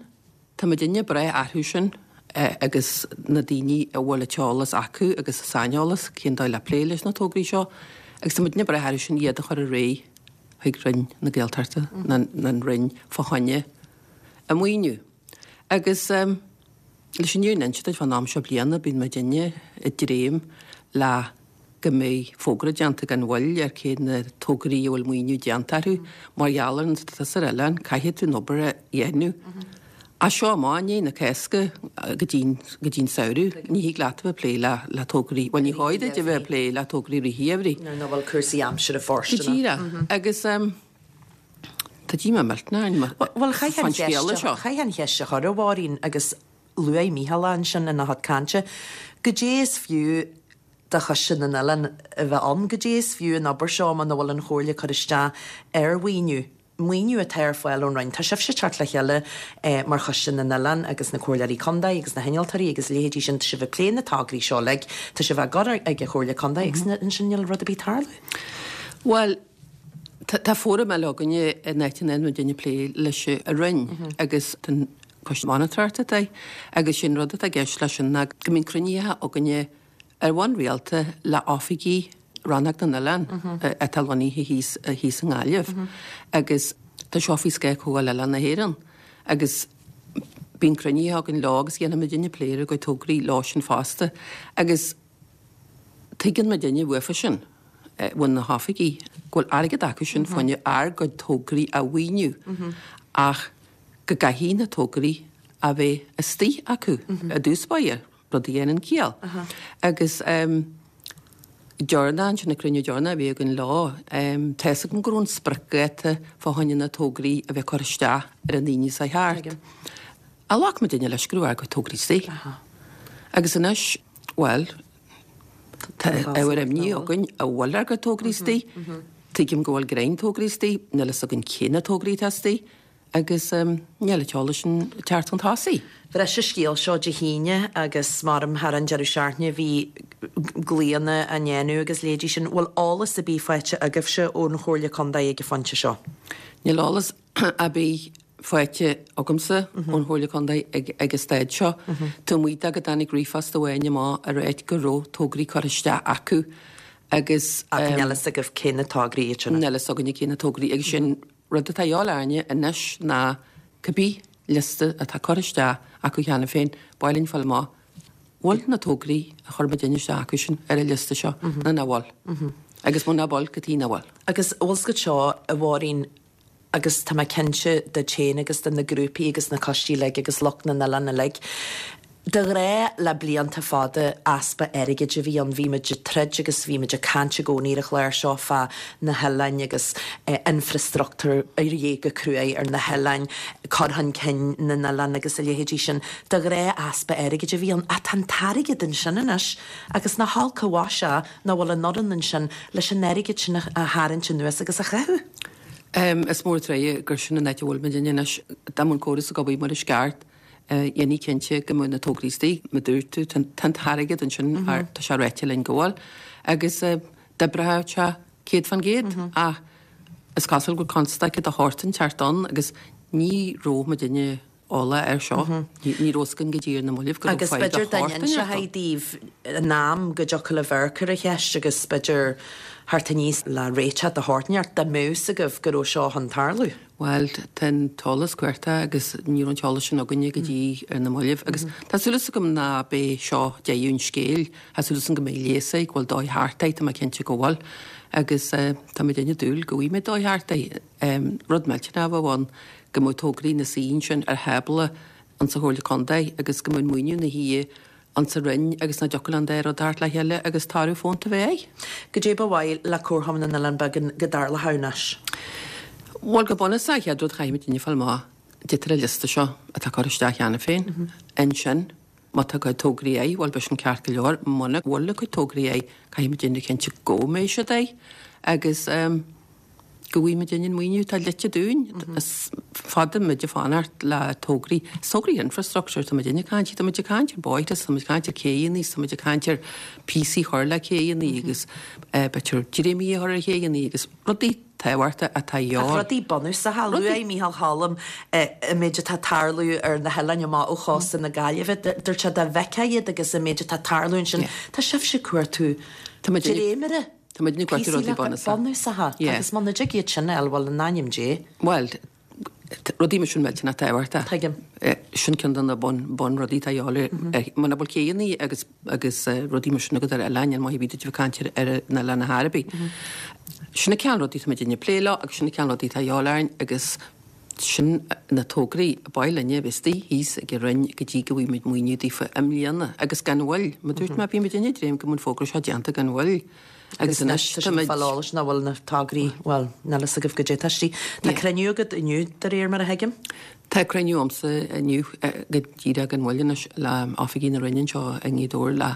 Tá muidinne ag brath orthu sin agus na daoine a bhfuil an t-eolas acu agus an saineolas cén dóigh le plé leis na tograí seo agus tá muidinne ag brath orthu sin iad a chur ar aghaidh chuig Roinn na Gaeltachta nó an Roinn fá choinne a maoiniú. Agus leis an fhírinne a inse duit fán am seo bliana bíonn muidinne ag dréim le go mbeidh fógra déanta gan mhoill ar cé na tograí a bhfuil maoiniú déanta orthu. Mar gheall ar an stádas ar oileán, caithfidh tú an obair a dhéanamh. As seo amach i ndiaidh na Cásca go dtí go dtí an samhradh, ní thig leat a bheith ag plé le le tograí, bhuel ní chóir duit a bheith ag plé le tograí rith an gheimhridh. Nuair nach bhfuil cúrsaí aimsire Go fóirsteanach. díreach. Agus tá díomá millteanach orainn Bhuel, chaithfeá fán an cheist scéala a seo. chaithfeá an cheist a chur, a Mháirín, agus luaigh Mícheál é ansin ina chuid cainte, goidé is fiú do Choiste na nOileán a bheith ann, goidé is fiú an obair seo muna bhfuil an Chomhairle ag cur isteach ar mhaoiniú. maoiniú atá ar fáil ón Roinn. Tá sibhse ag teacht le chéile mar Choiste na nOileán agus na Comhairleoirí Contae agus na hinnealtóirí agus a leithéidí sin, tá sibh ag plé na tograí seo uilig, tá sibh á gcur ag an Chomhairle Contae agus ansin níl rud ar bith ag tarlú. Bhuel, tá fóram eile againne in áit a ndéanann muidinne plé leis an Roinn agus tá an Coiste Monatóireachta atá agus sin rud atá i gceist leis sin ná go mbíonn cruinnithe againne ar bhonn rialta le oifigigh Rannóg na nOileán atá lonnaithe thíos thíos i nGaillimh agus tá seo faoi scáth Comhdháil Oileán na hÉireann agus bíonn cruinnithe againn leo agus dhéanann muidinne plé ar a gcuid tograí leo sin fosta agus tuigeann muidinne uafa sin, ó na hoifigigh, go bhfuil airgead acu sin fá choinne ár gcuid tograí a mhaoiniú ach go gcaithfidh na tograí a bheith istigh acu i dtús báire. rud a dhéanann ciall. Agus deireanach, ansin, an cruinniú deireanach a bhí againn leo, tá fhios agam go raibh an spriocdháta fá choinne na tograí a bheith curtha isteach ar an Aoine seo thart. Ach ghlac muidinne leis go raibh ár gcuid tograí istigh. Agus anois, bhuel, tá ábhar imní againn an bhfuil ár gcuid tograí istigh. Tuigim go bhfuil greim tograí istigh, níl fhios againn cé na tograí atá istigh. Agus níl an t-eolas sin ag teacht chun tosaigh. Bhris an scéal seo Dé hAoine agus maram thar an deireadh seachtaine bhí glaonna á ndéanamh agus leithéidí sin. Bhfuil eolas ar bith faighte agaibhse ón Chomhairle Contae ag an phointe seo? Níl eolas ar bith faighte agamsa ón Chomhairle Contae ag an staid seo. Taobh amuigh de go dtáinig ríomhphost amháin amach ag ráit go raibh tograí curtha isteach acu agus. Ach níl fhios agaibh cé na tograí iad sin? Níl fhios againne cé na tograí agus sin Rud atá a dhíobháil orainne anois ná cibé liosta atá curtha isteach acu cheana féin, ba mhaith linn fáil amach bhfuil na tograí a chuir muidinne isteach acu sin ar an liosta seo nó nach bhfuil. Agus muna bhfuil, cad chuige nach bhfuil. Agus bhfuil 's agat seo, a Mháirín, agus tá mé cinnte duit féin agus do na grúpaí agus na coistí uilig agus lucht na n-oileán uilig, De ghnáth le blianta fada easpa airgid a bhí ann. Bhí muid ag troid agus bhí muid ag caint i gcónaí ar an chlár seo fá na hoileáin agus infreastruchtúr a dhíth go cruaidh ar na hoileáin, cur chun cinn na n-oileán agus a leithéidí sin. De ghnáth easpa airgid a bhí ann. Ach tá an t-airgead ansin anois agus nach olc an mhaise é nach bhfuil an fhoireann ansin leis an airgead sin a tharraingt anuas agus a chaitheamh. Is mór an trua gur sin an áit a bhfuil muidinne anois. Dá mbeadh an córas ag obair mar is ceart, dhéanfaí cinnte go mbeadh na tograí istigh, mar a dúirt tú, tá an t-airgead ansin, tá sé ráite linn go bhfuil, agus d'oibreodh sé 100% ach is cosúil go bhfuil constaic de shórt inteacht ann agus ní raibh muidinne eolach air seo, ní raibh fhios againn go dtí ar na mallaibh go raibh Agus fadhb de b'fhéidir dá shórt inteacht ann. n-inseofaí daoibh in am go dtiocfadh libh amharc ar an cheist agus b'fhéidir theacht aníos le réiteach de shórt inteacht dá mbeadh fhios agaibh go raibh seo chun tarlú. Bhuel, tá an t-eolas cuartach agus ní raibh an t-eolas sin againne go dtí ar na mallaibh agus tá súil agam ná beidh seo deireadh an scéil. Tá súil agam go mbeidh leigheas air, go bhfuil dóigh thart air, tá mé cinnte go bhfuil agus tá muidinne ag dúil go bhfaighidh muid dóigh thart air. Rud millteanach a bheadh ann go mbeadh tograí ina suí ansin ar thábla insa Chomhairle Contae agus go mbeadh an maoiniú ina shuí insa Roinn agus nach dtiocfadh le an dá rud theacht le chéile agus toradh fónta a bheith air. Goidé ba mhaith le Comharchumann na nOileán Beag go dtarlódh anois? Bhuel, go bunúsach, an chéad rud chaithfidh muidinne fáil amach goidé atá ar an liosta seo atá curtha isteach cheana féin. Ansin, má tá a gcuid tograí air, bhuel, beidh sin ceart go leor. Muna bhfuil a gcuid tograí air, caithfidh muidinne cinntiú go mbeidh siad air agus. go bhfaighidh muidinne an maoiniú atá dlite dúinn. Is fada muid ag fanacht le tograí, is tograí infrastructure atá muidinne ag caint, tá muid ag caint ar bóithre, tá muid ag caint ar céidheanna, tá muid ag caint ar píosaí a chur le céidheanna agus b'fhéidir dréimí a chur ar chéidheanna agus rudaí tábhachtacha atá de Ach dhíobháil. rudaí bunúsacha, luaigh Mícheál Choilm an méid atá ag tarlú ar na hoileáin amach ó chósta na Gaillimhe, dúirt sé dá bhfeicfeá iad agus an méid atá ag tarlú ansin, tá sibhse ag cuartú dréimire. Tá muidne ag cuartú rudaí bunúsacha. Bunúsacha. Agus muna dtig iad sin a fháil, bhuel, in ainm Dé. Bhuel, rudaí mar sin millteanach tábhachtach. Tuigim. Sin ceann de na bun, bunrudaí atá a dhíobháil ar, muna bhfuil céidheanna agus, agus rudaí mar sin agat ar oileán, níl maith ar bith duit a bheith ag caint ar, ar an oileán ar chor ar bith. Sin an cineál rudaí atá muidinne ag plé leo agus sin an cineál rudaí atá a dhíobháil orainn agus. Sin na tograí ab áil linne a bheith istigh thíos ag an Roinn go dtí go bhfaighidh muid maoiniú daofa i mbliana agus gan mhoill. Mar a dúirt mé, bhí muid ag dréim go mbeadh an fógra seo déanta gan mhoill agus anois tá muid. Fáil eolais nach bhfuil na tograí, bhuel, níl fhios agaibh goidé tá istigh. Tá cruinniú agat inniu de réir mar a thuigim? Tá cruinniú agamsa inniu go díreach gan mhoill anois le oifigigh na Roinne anseo i nGaoth Dobhair le.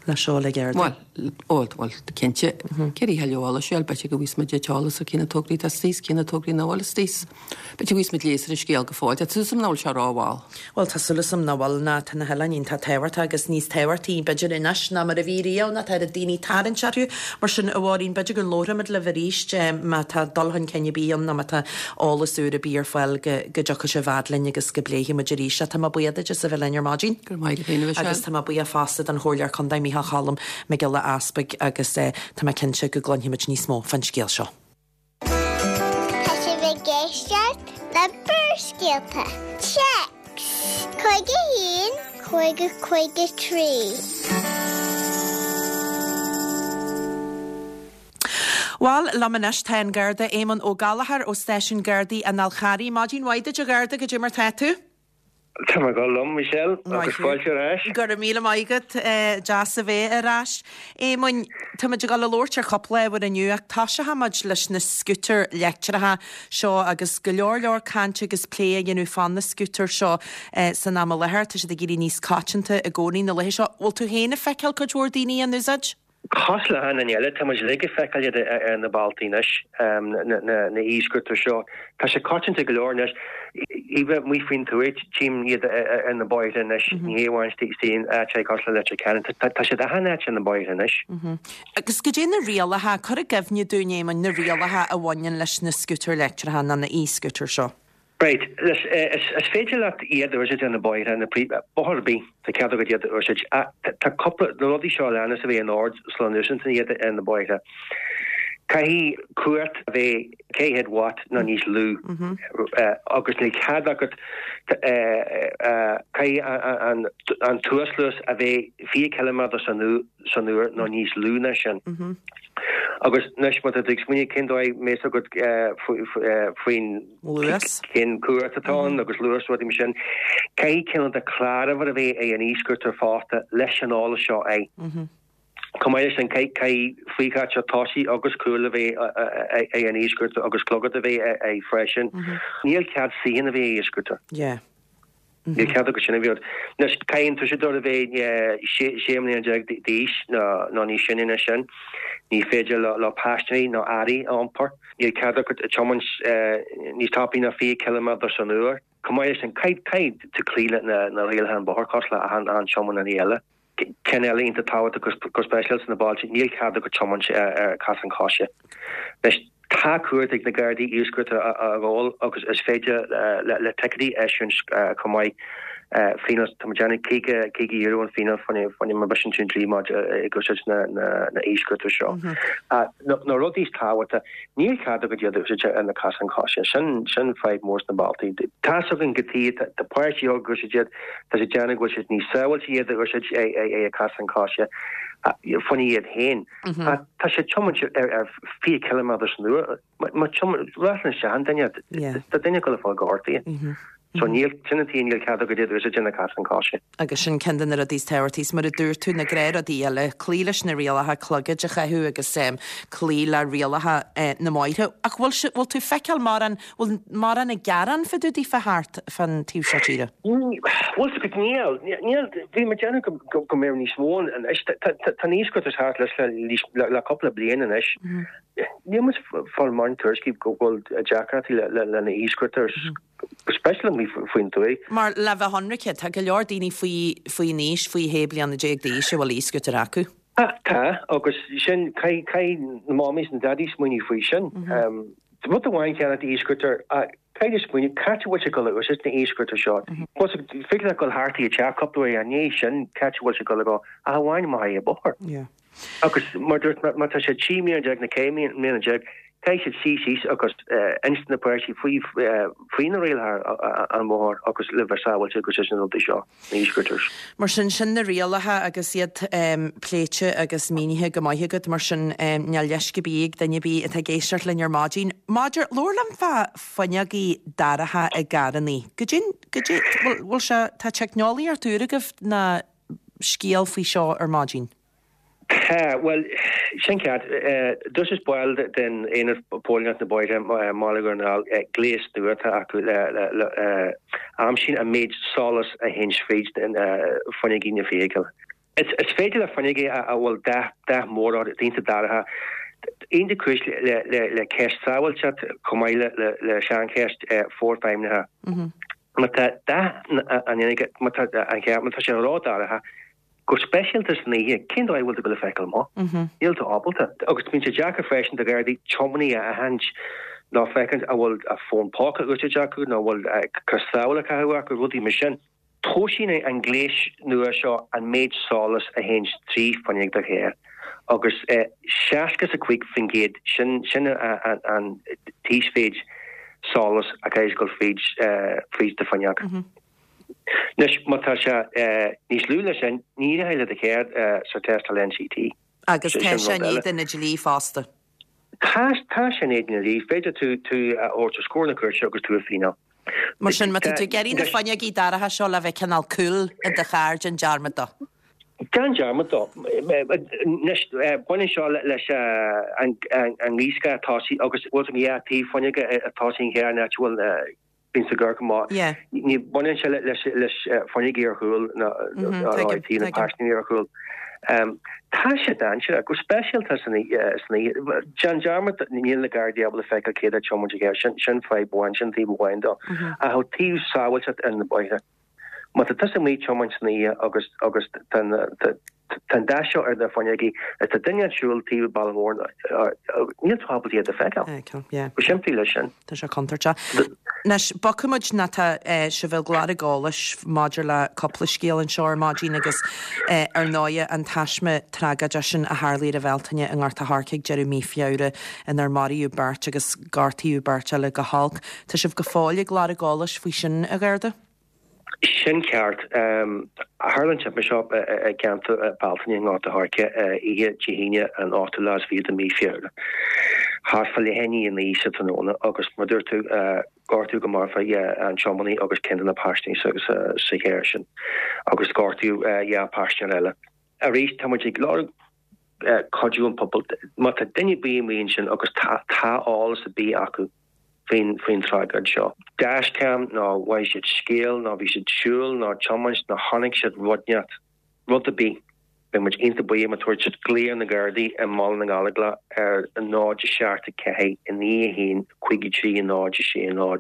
Le seo le gearr. Bhuel, bhuel, bhuel, cinnte. Céard a thuilleadh eolais a fháil, b'fhéidir go bhfaighidh muid an t-eolas ar cé na tograí atá istigh is cé na tograí nach bhfuil istigh. B'fhéidir go bhfaighidh muid léas ar an scéal go fóill. Tá súil agam nach bhfuil sé rómhall. Bhuel, tá súil agam nach bhfuil, ná tá na hoileáin iontach tábhachtach agus níos tábhachtaí, b'fhéidir, anois ná mar a bhí riamh, ná tá oiread daoine ag tarraingt orthu. Mar sin, a Mháirín, b'fhéidir go labharfaimid libh arís má tá dul chun cinn ar bith ann nó má tá eolas úr ar bith ar fáil go dtiocfaidh sibh fhad linn agus go bpléifidh muid arís é. Tá mé buíoch duit as a bheith linn ar maidin. Go raibh maith agat féin, a Mhichelle. Agus tá mé buíoch fosta don Chomhairleoir Contae Micheál Cholm Mac Giolla Easpaig agus tá mé cinnte go gcluinfimid níos mó fán scéal seo. Tá sibh ag éisteacht le Barrscéalta. Téacs 51 50 53. Bhuel, liom anois tá an Garda Éamonn Ó Gallchóir ó Stáisiún Gardaí an Fháil Charraigh. Maidin mhaith duit a Gharda, goidé mar tá tú? Tá mé go maith Michelle, agus fáilte ar ais. Go raibh míle maith agat, deas a bheith ar ais. Éamoinn, táimid ag dul a labhairt ar chúpla ábhar inniu ach toiseochaimid leis na scútair leictreacha seo agus go leor leor cainte agus plé á dhéanamh fá na scútair seo san am i láthair. Tá siad ag éirí níos coitianta i gcónaí na laetha seo. Bhfuil tú féin ag feiceáil cuid mhór daoine á n-úsáid? Cosúil le achan duine eile, tá muid uilig ag feiceáil iad ar na bealtaí anois, na e-scooter seo. Tá sé coitianta go leor anois. Even amuigh faoin tuath, tchím iad ar na bóithre anois, ní hé amháin istigh in áiteacha cosúil le Leitir Ceanainn. Tá siad achan áit ar na bóithre anois. Agus goidé na rialacha, cuir i gcuimhne dúinn, Éamoinn, na rialacha a bhaineann leis na scútair leictreacha nó na e-scooters seo. Right, is féidir leat iad a úsáid ar na bóithre, na príomh, bóthar ar bith, tá cead agat iad a úsáid. Ach tá cúpla, na rudaí seo a leanas a bheith in ord sula n-úsáideann tú iad ar na bóithre. Caithfidh cumhacht a bheith 400 watt nó níos lú agus níl cead agat, caithfidh an t-uasluas a bheith 20 ciliméadar san uair nó níos lú ná sin. Agus anois má tá tú ag smaoineamh cén dóigh mbeidh a fhios agat faoin luas. cén cumhacht atá ann agus luas rudaí mar sin. Caithfidh cineál de cláruimhir a bheith ag an e-scooter fosta leis an eolas seo air. Chomh maith leis sin caithfidh faochaiteoir tosaigh agus cúil a bheith ag an e-scooter agus clogad a bheith air freisin. Níl cead suíochán a bheith ag e-scooter. Níl cead agat sin a bheith. Anois, caithfidh an t-úsáideoir a bheith 16 mbliana d'aois nó níos sine ná sin. Ní féidir leo paisinéirí nó earraí a iompar. Níl cead agat tiomáint níos tapaí ná 20 ciliméadar san uair. Chomh maith leis sin, caithfidh tú cloí le na rialacha an bhóthair cosúil le achan tiománaí eile. Ceann eile iontach tábhachtach go speisialta sna bailte, níl cead agat tiomáint ar chasán coise. Anois, tá cumhacht ag na Gardaí e-scooter a ghabháil agus is féidir le ticéidí a eisiúint chomh maith. Fíneáil, tá muid ag déanamh €50 an fíneáil fá choinne má bhriseann tú an dlí maidir ag úsáid na e-scooter seo. Na rudaí is tábhachtaí, níl cead agat iad a úsáid ar na casáin coise. Sin sin fadhb mór sna bealtaí. Tá's againn go dtí tá páistí óga ag úsáid iad, Tá siad ag déanamh go bhfuil siad níos sábháilte iad a úsáid ag casán coise fá choinne iad féin. Ach tá siad ag tiomáint ar 20 ciliméadar san uair. Má tiomáin, ráslann isteach i nduine, tá duine ag dul a fáil gortaithe. So níl, sin an tuige níl cead agat iad a úsáid ar na casáin coise. Agus sin ceann de na rudaí is tábhachtaí. Is mar a dúirt tú, na gnáthrudaí eile, cloí leis na rialacha, clogaid a chaitheamh agus cloí le rialacha na mbóithre. Ach bhfuil, bhfuil tú ag feiceáil mórán Bhfuil mórán ag gearán fá dtaobh daofa thart fán taobh seo tíre? Bhfuil 's agat, níl. Níl. Bhí mé ag déanamh go mbeadh níos mó ann anois. Tá na e-scooters thart leis le cúpla bliain anois. Níl muid ag fáil mórán tuairiscí go bhfuil deacrachtaí le na e-scooters, go speisialta amuigh faoin tuath. Mar le bheith ionraice, tá go leor daoine faoi faoin aois, faoi shé bliana déag d'aois a bhfuil e-scooter acu. Tá, agus sin, caithfidh na mommies and daddies smaoineamh faoi sin. Rud amháin cheana e-scooter, caithfidh tú smaoineamh, cá háit a bhfuil sé ag dul a úsáid na e-scooter seo? Bhuel, is féidir leat dul thart i dteach cúpla uair i ndiaidh sin, cá háit a bhfuil sé ag dul a dhul, ach amháin amach ar an bóthar. Agus mar dúirt, má tá sé 13 mbliana nó 15 mbliana. Caithfidh siad suí síos agus insint na páistí faoi faoi na rialacha an bhóthair agus le bheith sábháilte agus leis na rudaí seo, na e-scooters. Mar sin, sin na rialacha agus iad pléite agus mínithe go maith agat, mar sin níl leisce ar bith ag duine ar bith atá ag éisteacht linn ar maidin. Maidir, labhair liom fá fuinneogaí dorcha i gcarrannaí. Goidé, goidé, bhfuil, bhfuil sé, tá teicneolaíocht úr agaibh ná scéal faoi seo ar maidin? Tá, bhuel, sin ceart. D'úsáid baill den Aonad Póilíneachta na Bóithre i mBaile Dhún na nGall gléas nua atá acu le aimsíonn an méid solas a théann fríd fuinneogaí na feithicle. Is féidir le fuinneogaí a bhfuil dath mór orthu, iontach dorcha, iontach cúis le ceist sábháilteacht chomh maith le seancheist forfheidhmithe. Má tá dath an fhuinneoige, má tá an cheart, má tá sé ródhorcha, Go speisialta san oíche, cén dóigh a bhfuil tú ag dul a feiceáil amach? Níl tú ábalta. Agus bíonn sé deacair freisin do Ghardaí tiománaí a aithint nó féachaint an bhfuil a fón póca á úsáid acu nó an bhfuil cos sábhála á caitheamh acu, rudaí mar sin. Tomhaiseann an gléas nua seo an méid solas a théann trí fuinneog do chairr agus 65% sin sin an t-íosmhéid solas a chaithfidh dul fríd fríd do fuinneog. Anois, má tá sé níos lú ná sin, ní éireoidh le do charr sa tástáil NCT. Agus tá sé in éadan an dlí fosta. Tá, tá sé in éadan an dlí. Is féidir tú tú a thabhairt os comhair na cúirte agus tú a fíneáil. Mar sin, má tá tú ag iarraidh na fuinneogaí dorcha seo le bheith cineál cool i do charr, déan dearmad dó. Déan dearmad dó. Anois, baineann seo leis an ngaothscáth tosaigh agus bhfuil an dhá taobh fuinneoige tosaigh an chairr an áit a bhfuil Bíonn sa gcorc amach. Ní bhaineann sé leis fuinneogaí ar chúl ná taobh na paisinéirí ar chúl. Tá sé dainséarach, go speisialta san oíche. Déan dearmad, níl na Gardaí ábalta feiceáil cé atá ag tiomáint an charr. Sin fadhb amháin, sin taobh amháin dó. Ach ó taobh sábháilteacht ar na bóithre. Má tá tusa amuigh ag tiomáint san oíche agus agus tá tá an dath seo ar na fuinneogaí is tá duine ag siúl taobh an bealaigh mhóir níl tú ábalta iad a feiceáil. Feiceáil, yeah. Go simplí leis sin. Tá sé contúirteach. Anois, bogfaidh muid ná tá sibh ag lorg eolais maidir le cúpla scéal anseo ar maidin agus ar ndóighe an taisme tragóideach sin a tharlaigh ar an Bhealtaine i nGort a' Choirce ag deireadh mí Feabhra inar maraíodh beirt agus gortaíodh beirt eile go holc. Tá sibh go fóill ag lorg eolais faoi sin, a Gharda? Sin ceart. Tharla an timpiste seo i gceantar Bealtaine i nGort a' Choirce oíche Dé hAoine an ochtú lá is fiche de mhí Feabhra, thart fá leath i ndiaidh a 9 sa tráthnóna agus mar a dúirt tú, gortaíodh go marfach an tiománaí agus ceann de na paisinéirí sa charr sin agus gortaíodh dhá phaisinéir eile. Arís, tá muid ag lorg cuidiú an pobail. Má tá duine ar bith amuigh ansin agus tá eolas ar bith acu faoin faoin tragóid seo, dashcam nó mhothaigh siad scéal nó bhí siad siúl nó tiomáint nó chonaic siad rud inteacht, rud ar bith, beidh muid iontach buíoch má tabharfaidh siad glao ar na Gardaí i mBaile na nGallóglach ar 0 7 4 9 1 5 3 0 6 0,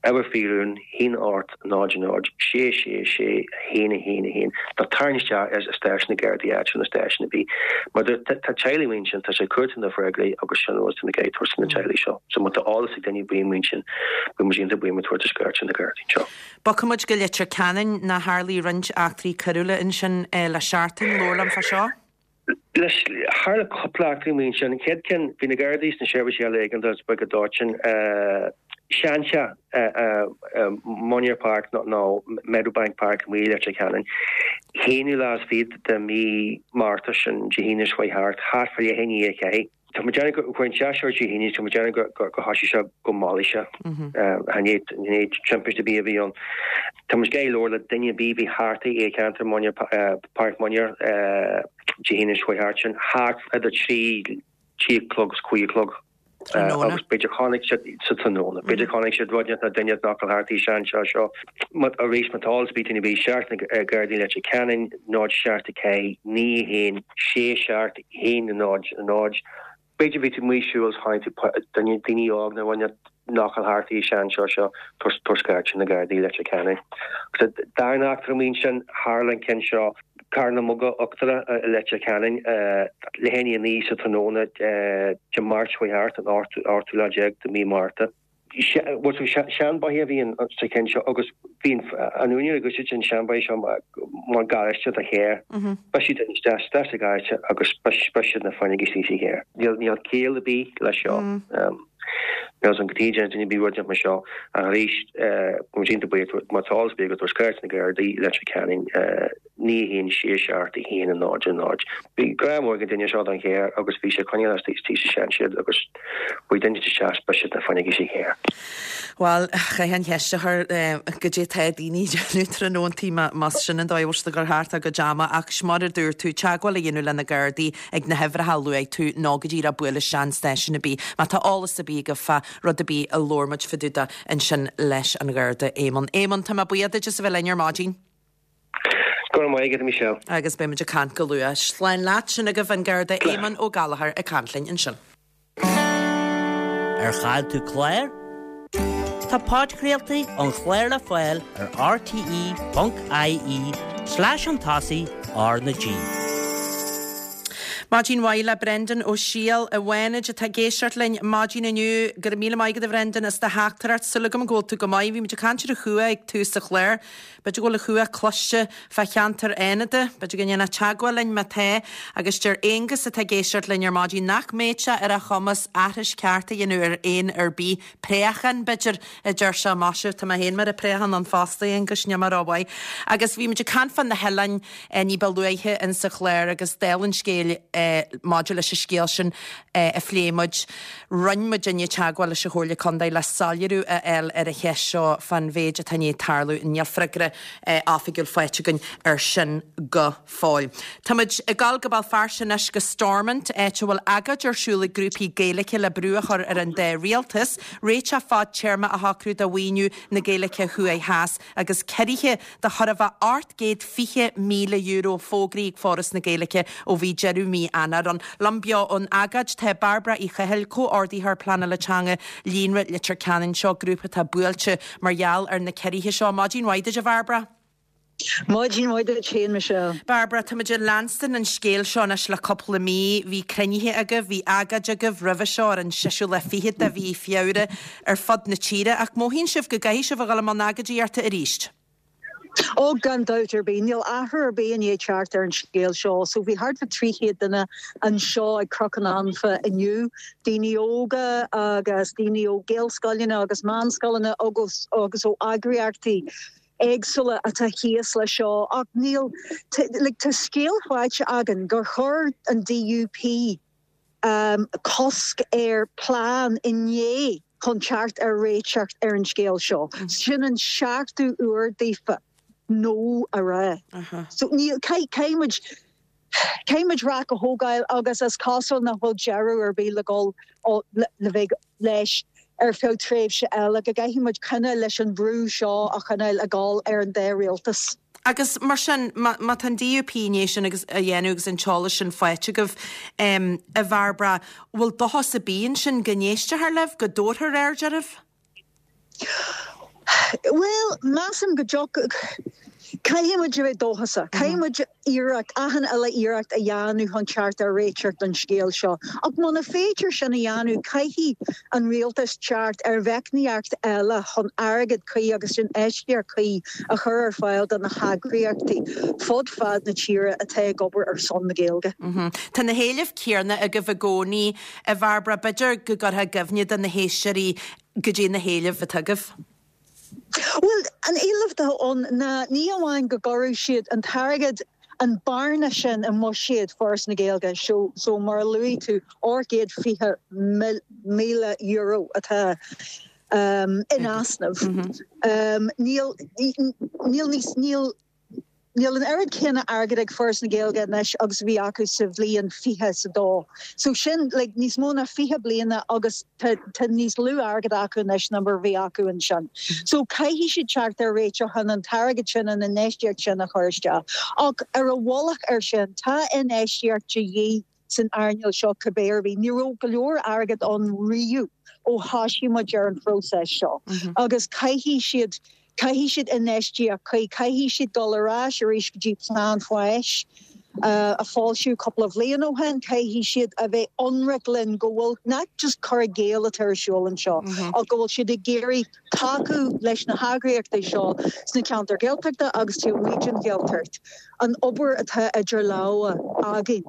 Uimhir faoi rún, 1 8 0 0 6 6 6 1 1 1 Nó tarraing isteach ar stáisiún na Gardaí áitiúil nó stáisiún ar bith. Mar tá teaghlaigh amuigh ansin, tá sé cúirt na freagraí agus sin rud na gcaithfidh tabhairt do na teaghlaigh seo. So má tá eolas ag duine ar bith amuigh ansin, beidh muid iontach buíoch má tabhairt scairt ar na Gardaí anseo. Bogfaidh muid go Leitir Ceanainn, ná tharlaigh roinnt eachtraí coiriúla ansin le seachtain. Labhair liom fá seo. Leis, tharla cúpla eachtra amuigh ansin. An chéad ceann, bhí na Gardaí is na seirbhísí eile éigeandála sa Bhaile Dóiteáin, seanteach i Munyer Park nó Meadowbank Park amuigh i Leitir Ceanainn, haonú lá is fichead de mhí Márta sin, Dé hAoine seo chuaigh thart, thart fá leath i ndiaidh a ceathair. Tá muid ag déanamh go chuir an teach seo Dé hAoine, tá muid ag déanamh go gur thoisigh sé go mall sé. Chan é timpiste ar bith a bhí ann. Tá muid ag labhairt le duine ar bith a bhí thart i gceantar Munyer, Páirc Munyer, Dé hAoine seo chuaigh thart sin, thart idir 3 3 a chlog is 5 a chlog. Agus b'fhéidir chonaic siad sa tráthnóna, b'fhéidir chonaic siad rud nó duine nach bhfuil thart i seanteach seo. Arís, má tá eolas ar bith ag duine ar bith, searc na Gardaí Leitir Ceanainn, 0 7 4 9 1 6 7 1 0 0. B'fhéidir bhí tú amuigh ag siúl is chonaic tú duine, daoine óg nó duine nach bhfuil thart i seanteach seo, tabhair scairt ar na Gardaí Leitir Ceanainn. Agus an darna eachtra amuigh ansin, tharla an ceann seo, Carn na Muga Uachtarach i Leitir Ceanainn, leath i ndiaidh a 9 sa tráthnóna Dé Máirt seo chuaigh thart, an ochtú lá déag de mhí Márta. Bhuel, so seanbheithíoch a bhí sa cheann seo agus bhí an úinéir ag úsáid an seanbheithíoch seo mar garáiste do charr. Bhiseadh duine isteach isteach sa gharáiste agus bhiseadh na fuinneoga istigh sa charr. Níl ciall ar bith leis seo. Níl san go dtí duine ar bith rud mar seo ach arís, tá muid iontach buíoch má tá eolas ar bith agat tabhair cuairt na Gardaí i Leitir Ceanainn. 9 1 6 7 1 0 0. Bhí grá mór ag an duine seo don charr agus bhí sé ag coinneáil istigh sa seanshed agus bhí duine isteach is briseadh na fuinneoga sa charr. Bhuel, chaithfeá an cheist a chur, goidé tá daoine ag déanamh tráthnóntaí más sin an dóigh a bhfuil siad ag cur thart a gcuid ama ach mar a dúirt tú, teagmháil a dhéanamh le na Gardaí ag na huimhreacha a luaigh tú nó go díreach buail isteach an stáisiún ar bith. Má tá eolas ar bith agaibh fá rud ar bith a labhair muid fá dtaobh de ansin leis an Gharda Éamonn. Éamonn, tá mé buíoch duit as a bheith linn ar maidin. Go raibh maith agat, a Michelle. Agus beidh muid ag caint go luath. Slán leat, sin agaibh an Garda Éamonn Ó Gallchóir ag caint linn ansin. Ar chaill tú clár? Tá podchraoltaí an chláir le fáil ar rte.ie slash chun tosaigh R na G. Maidin mhaith le Brendan Ó Siadhail i bhFánaid atá ag éisteacht linn maidin inniu. Go raibh míle maith agat a Bhrendan as do theachtaireacht. Súil agam go bhfuil tú go maith. Bhí muid ag caint ar an chumha ag tús an chláir. B'fhéidir go bhfuil an chumha cloiste fá cheantar Fhánada. B'fhéidir go ndéanfá teagmháil linn má tá. Agus deir Aonghus atá ag éisteacht linn ar maidin nach mbeadh sé ar a chumas aithris ceart a dhéanamh ar éan ar bith. Préachán, b'fhéidir, a deir sé. Maise, tá mé féin mar phréachán ann fosta, a Aonghuis, níl mé rómhaith. Agus bhí muid ag caint fá na hoileáin ní ba luaithe in sa chlár agus dála an scéil maidir leis an scéal sin a phléigh muid, Rinne muidinne teagmháil leis an Chomhairle Contae le soiléiriú a fháil ar an cheist seo fán mhéid atá i ndiaidh tarlú. Níl freagra oifigiúil faighte againn air sin go fóill. Táimid ag dul go Béal Feirste anois go Stormont, áit a bhfuil agóid ar siúl ag grúpaí Gaeilge le brú a chur ar an dá rialtas réiteach fadtéarma a shocrú do mhaoiniú na Gaeilge thuaidh theas agus ciorruithe de chóir a bheith €820,000 fógraithe ag Foras na Gaeilge ó bhí deireadh mí Eanáir ann. Liom beo ón agóid tá Bairbre Uí Chathail, Comhordaitheoir Pleanála Teanga Líonra Leitir Ceanainn. Seo grúpa atá buailte mar gheall ar na ciorruithe seo. Maidin mhaith duit a Bhairbre. Maidin mhaith duit féin, Michelle. Bairbre, táimid ag leanstan an scéil seo anois le cúpla mí. Bhí cruinnithe agaibh, bhí agóid agaibh roimhe seo ar an seisiú lá fichead de mhí Feabhra ar fud na tíre, ach mothaíonn sibh go gcaithfidh sibh a dhul i mbun agóidíochta arís? Ó, gan dabht ar bith. Níl athrú ar bith i ndiaidh teacht ar an scéal seo. So bhí thart fá 300 duine anseo ag Cnoc an Anfa inniu, daoine óga agus daoine ó Gaelscoileanna agus meánscoileanna agus agus ó eagraíochtaí éagsúla atá thíos leis seo. Ach níl, like, tá scéal faighte againn gur chuir an DUP, cosc ar plean inné chun teacht ar réiteach ar an scéal seo. Sin an seachtú uair daofa no a rá. So níl, caithfidh muid, caithfidh muid raic a thógáil agus is cosúil nach bhfuil deireadh ar bith le dhul le bheith leis ar feadh tréimhse eile, go gcaithfidh muid coinneáil leis an bhrú seo a choinneáil ag dul ar an dá rialtas. Agus mar sin, má tá an DUP i ndiaidh sin agus a dhéanamh agus an t-eolas sin faighte agaibh, a Bhairbre, bhfuil dóchas ar bith ansin go n-éistfear libh, go dtabharfar aird oraibh? Bhuel, measaim go dtiocfaidh. Caithfidh muid a bheith dóchasach. Caithfidh muid iarracht, achan uile iarracht a dhéanamh chun teacht ar réiteach don scéal seo. Ach muna féidir sin a dhéanamh, caithfidh an rialtas teacht ar mheicníocht eile chun airgead cuí agus infheistíocht cuí a chur ar fáil do na heagraíochtaí fud fad na tíre atá ag obair ar son na Gaeilge. Tá na héilimh céanna agaibh i gcónaí, a Bhairbre. B'fhéidir go gcuirfeá i gcuimhne do na héisteoirí goidé na héilimh atá agaibh. Bhuel, an éileamh atá ann ná ní amháin go gcuirfeadh siad an t-airgead, an bearna sin i mbuiséad Foras na Gaeilge, so, so mar a luaigh tú, €820,000 atá in easnamh. Níl, níl níos, níl. Níl an oiread céanna airgid ag Foras na Gaeilge anois agus a bhí acu sa bhliain 20 is a dó. So sin like níos mó ná 20 bliana agus tá tá níos lú airgead acu anois ná mar a bhí acu ansin. So caithfidh siad teacht ar réiteach chun an t-airgead sin, an infheistíocht sin a chur isteach. Ach ar a mhullach ar sin, tá infheistíocht de dhíth san earnáil seo cibé ar bith. Ní raibh go leor airgead ann riamh ó thoisigh muid ar an phróiseas seo agus caithfidh siad, caithfidh siad infheistíocht cuí, caithfidh siad dul ar ais arís go dtí plean fáis. A foilsíodh cúpla bhliain ó shin, caithfidh siad a bheith ionraic linn go bhfuil nach just cur i gcéill atá ar siúl anseo ach go bhfuil siad ag iarraidh tacú leis na heagraíochtaí seo sna ceantair Ghaeltachta agus taobh amuigh den Ghaeltacht an obair atá idir lámha againn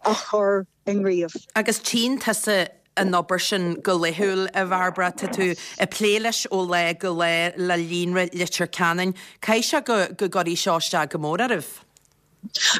a chur i ngníomh. Agus tchíonn tusa an obair sin go laethúil, a Bhairbre. Tá tú ag plé leis ó lá go lá le Líonra Leitir Ceanainn. Caithfidh sé go gcuirfidh seo isteach go mór oraibh?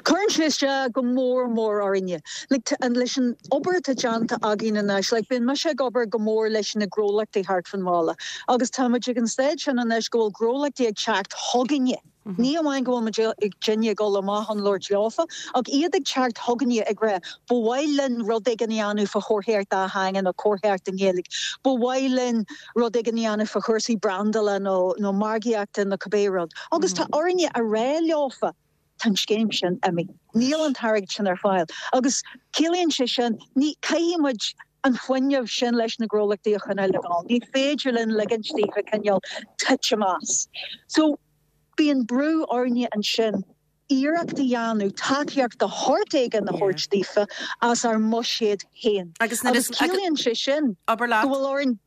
Cuireann sé isteach go mór mór orainne. Like, leis an obair atá déanta againn anois, like, bíonn mise ag obair go mór leis na gnólachtaí thart fán bhaile agus tá muid ag an staid sin anois go bhfuil gnólachtaí ag teacht chugainne. Ní amháin go bhfuil muid ag daoine ag dul amach chun labhairt leofa, ach iad ag teacht chugainne ag rá, ba mhaith linn rud éigin a dhéanamh fá chomharthaíocht dátheangach nó comharthaíocht i nGaeilge, ba mhaith linn rud éigin a dhéanamh fá chúrsaí brandála nó nó margaíochta nó cibé rud. Agus tá orainne a rá leofa, tá an scéim sin imithe. Níl an t-airgead sin ar fáil. Agus ciallaíonn sé sin, ní, caithfidh muid an fuinneamh sin leis na gnólachtaí a choinneáil ag dul. Ní féidir linn ligint daofa cineál titim as. So, bíonn brú orainne ansin iarracht a dhéanamh tacaíocht de shórt éigin a thabhairt daofa as ár mbuiséad féin. Agus ciallaíonn sé sin go bhfuil orainn,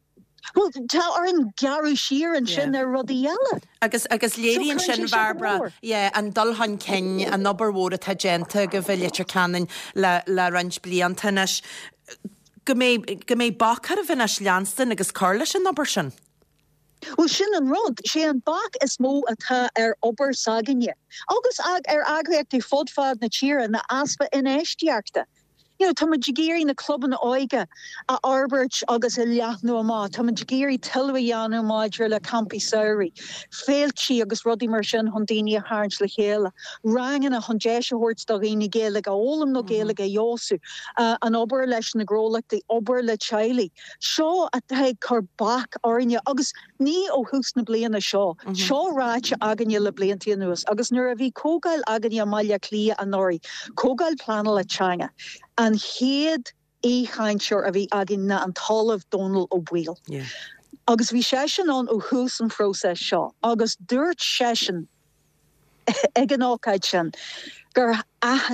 bhuel, tá orainn gearradh siar ansin ar rudaí eile. Agus, agus léiríonn sin, Bhairbre, yeah, an dul chun cinn, an obair mhór atá déanta agaibh i Leitir Ceanainn le, le roinnt blianta anois. Go mbeidh, go mbeidh bac oraibh anois leanstan agus cur leis an obair sin. Bhuel, sin an rud. Sé an bac is mó atá ar obair s'againne, agus ar eagraíochtaí fud fad na tíre, ná easpa infheistíochta. You know, tá muid ag iarraidh na clubanna óige a fhorbairt agus a leathnú amach, tá muid ag iarraidh tuilleadh a dhéanamh maidir le campaí samhraidh, féiltí agus rudaí mar sin chun daoine a tharraingt le chéile, ranganna chun deis a thabhairt do dhaoine Gaeilge a fhoghlaim nó Gaeilge a fheabhsú, an obair leis na gnólachtaí, obair le teaghlaigh. Seo atá ag cur bac orainne agus ní ó thús na bliana seo, seo ráite againne le blianta anuas agus nuair a bhí comhdháil againne i mBaile Átha Cliath anuraidh, comhdháil pleanála teanga, an chéad aoichainteoir a bhí againn ná an tOllamh Dónal Ó Baoill agus bhí seisean ann ó thús an phróiseas seo agus dúirt seisean, ag an ócáid sin gur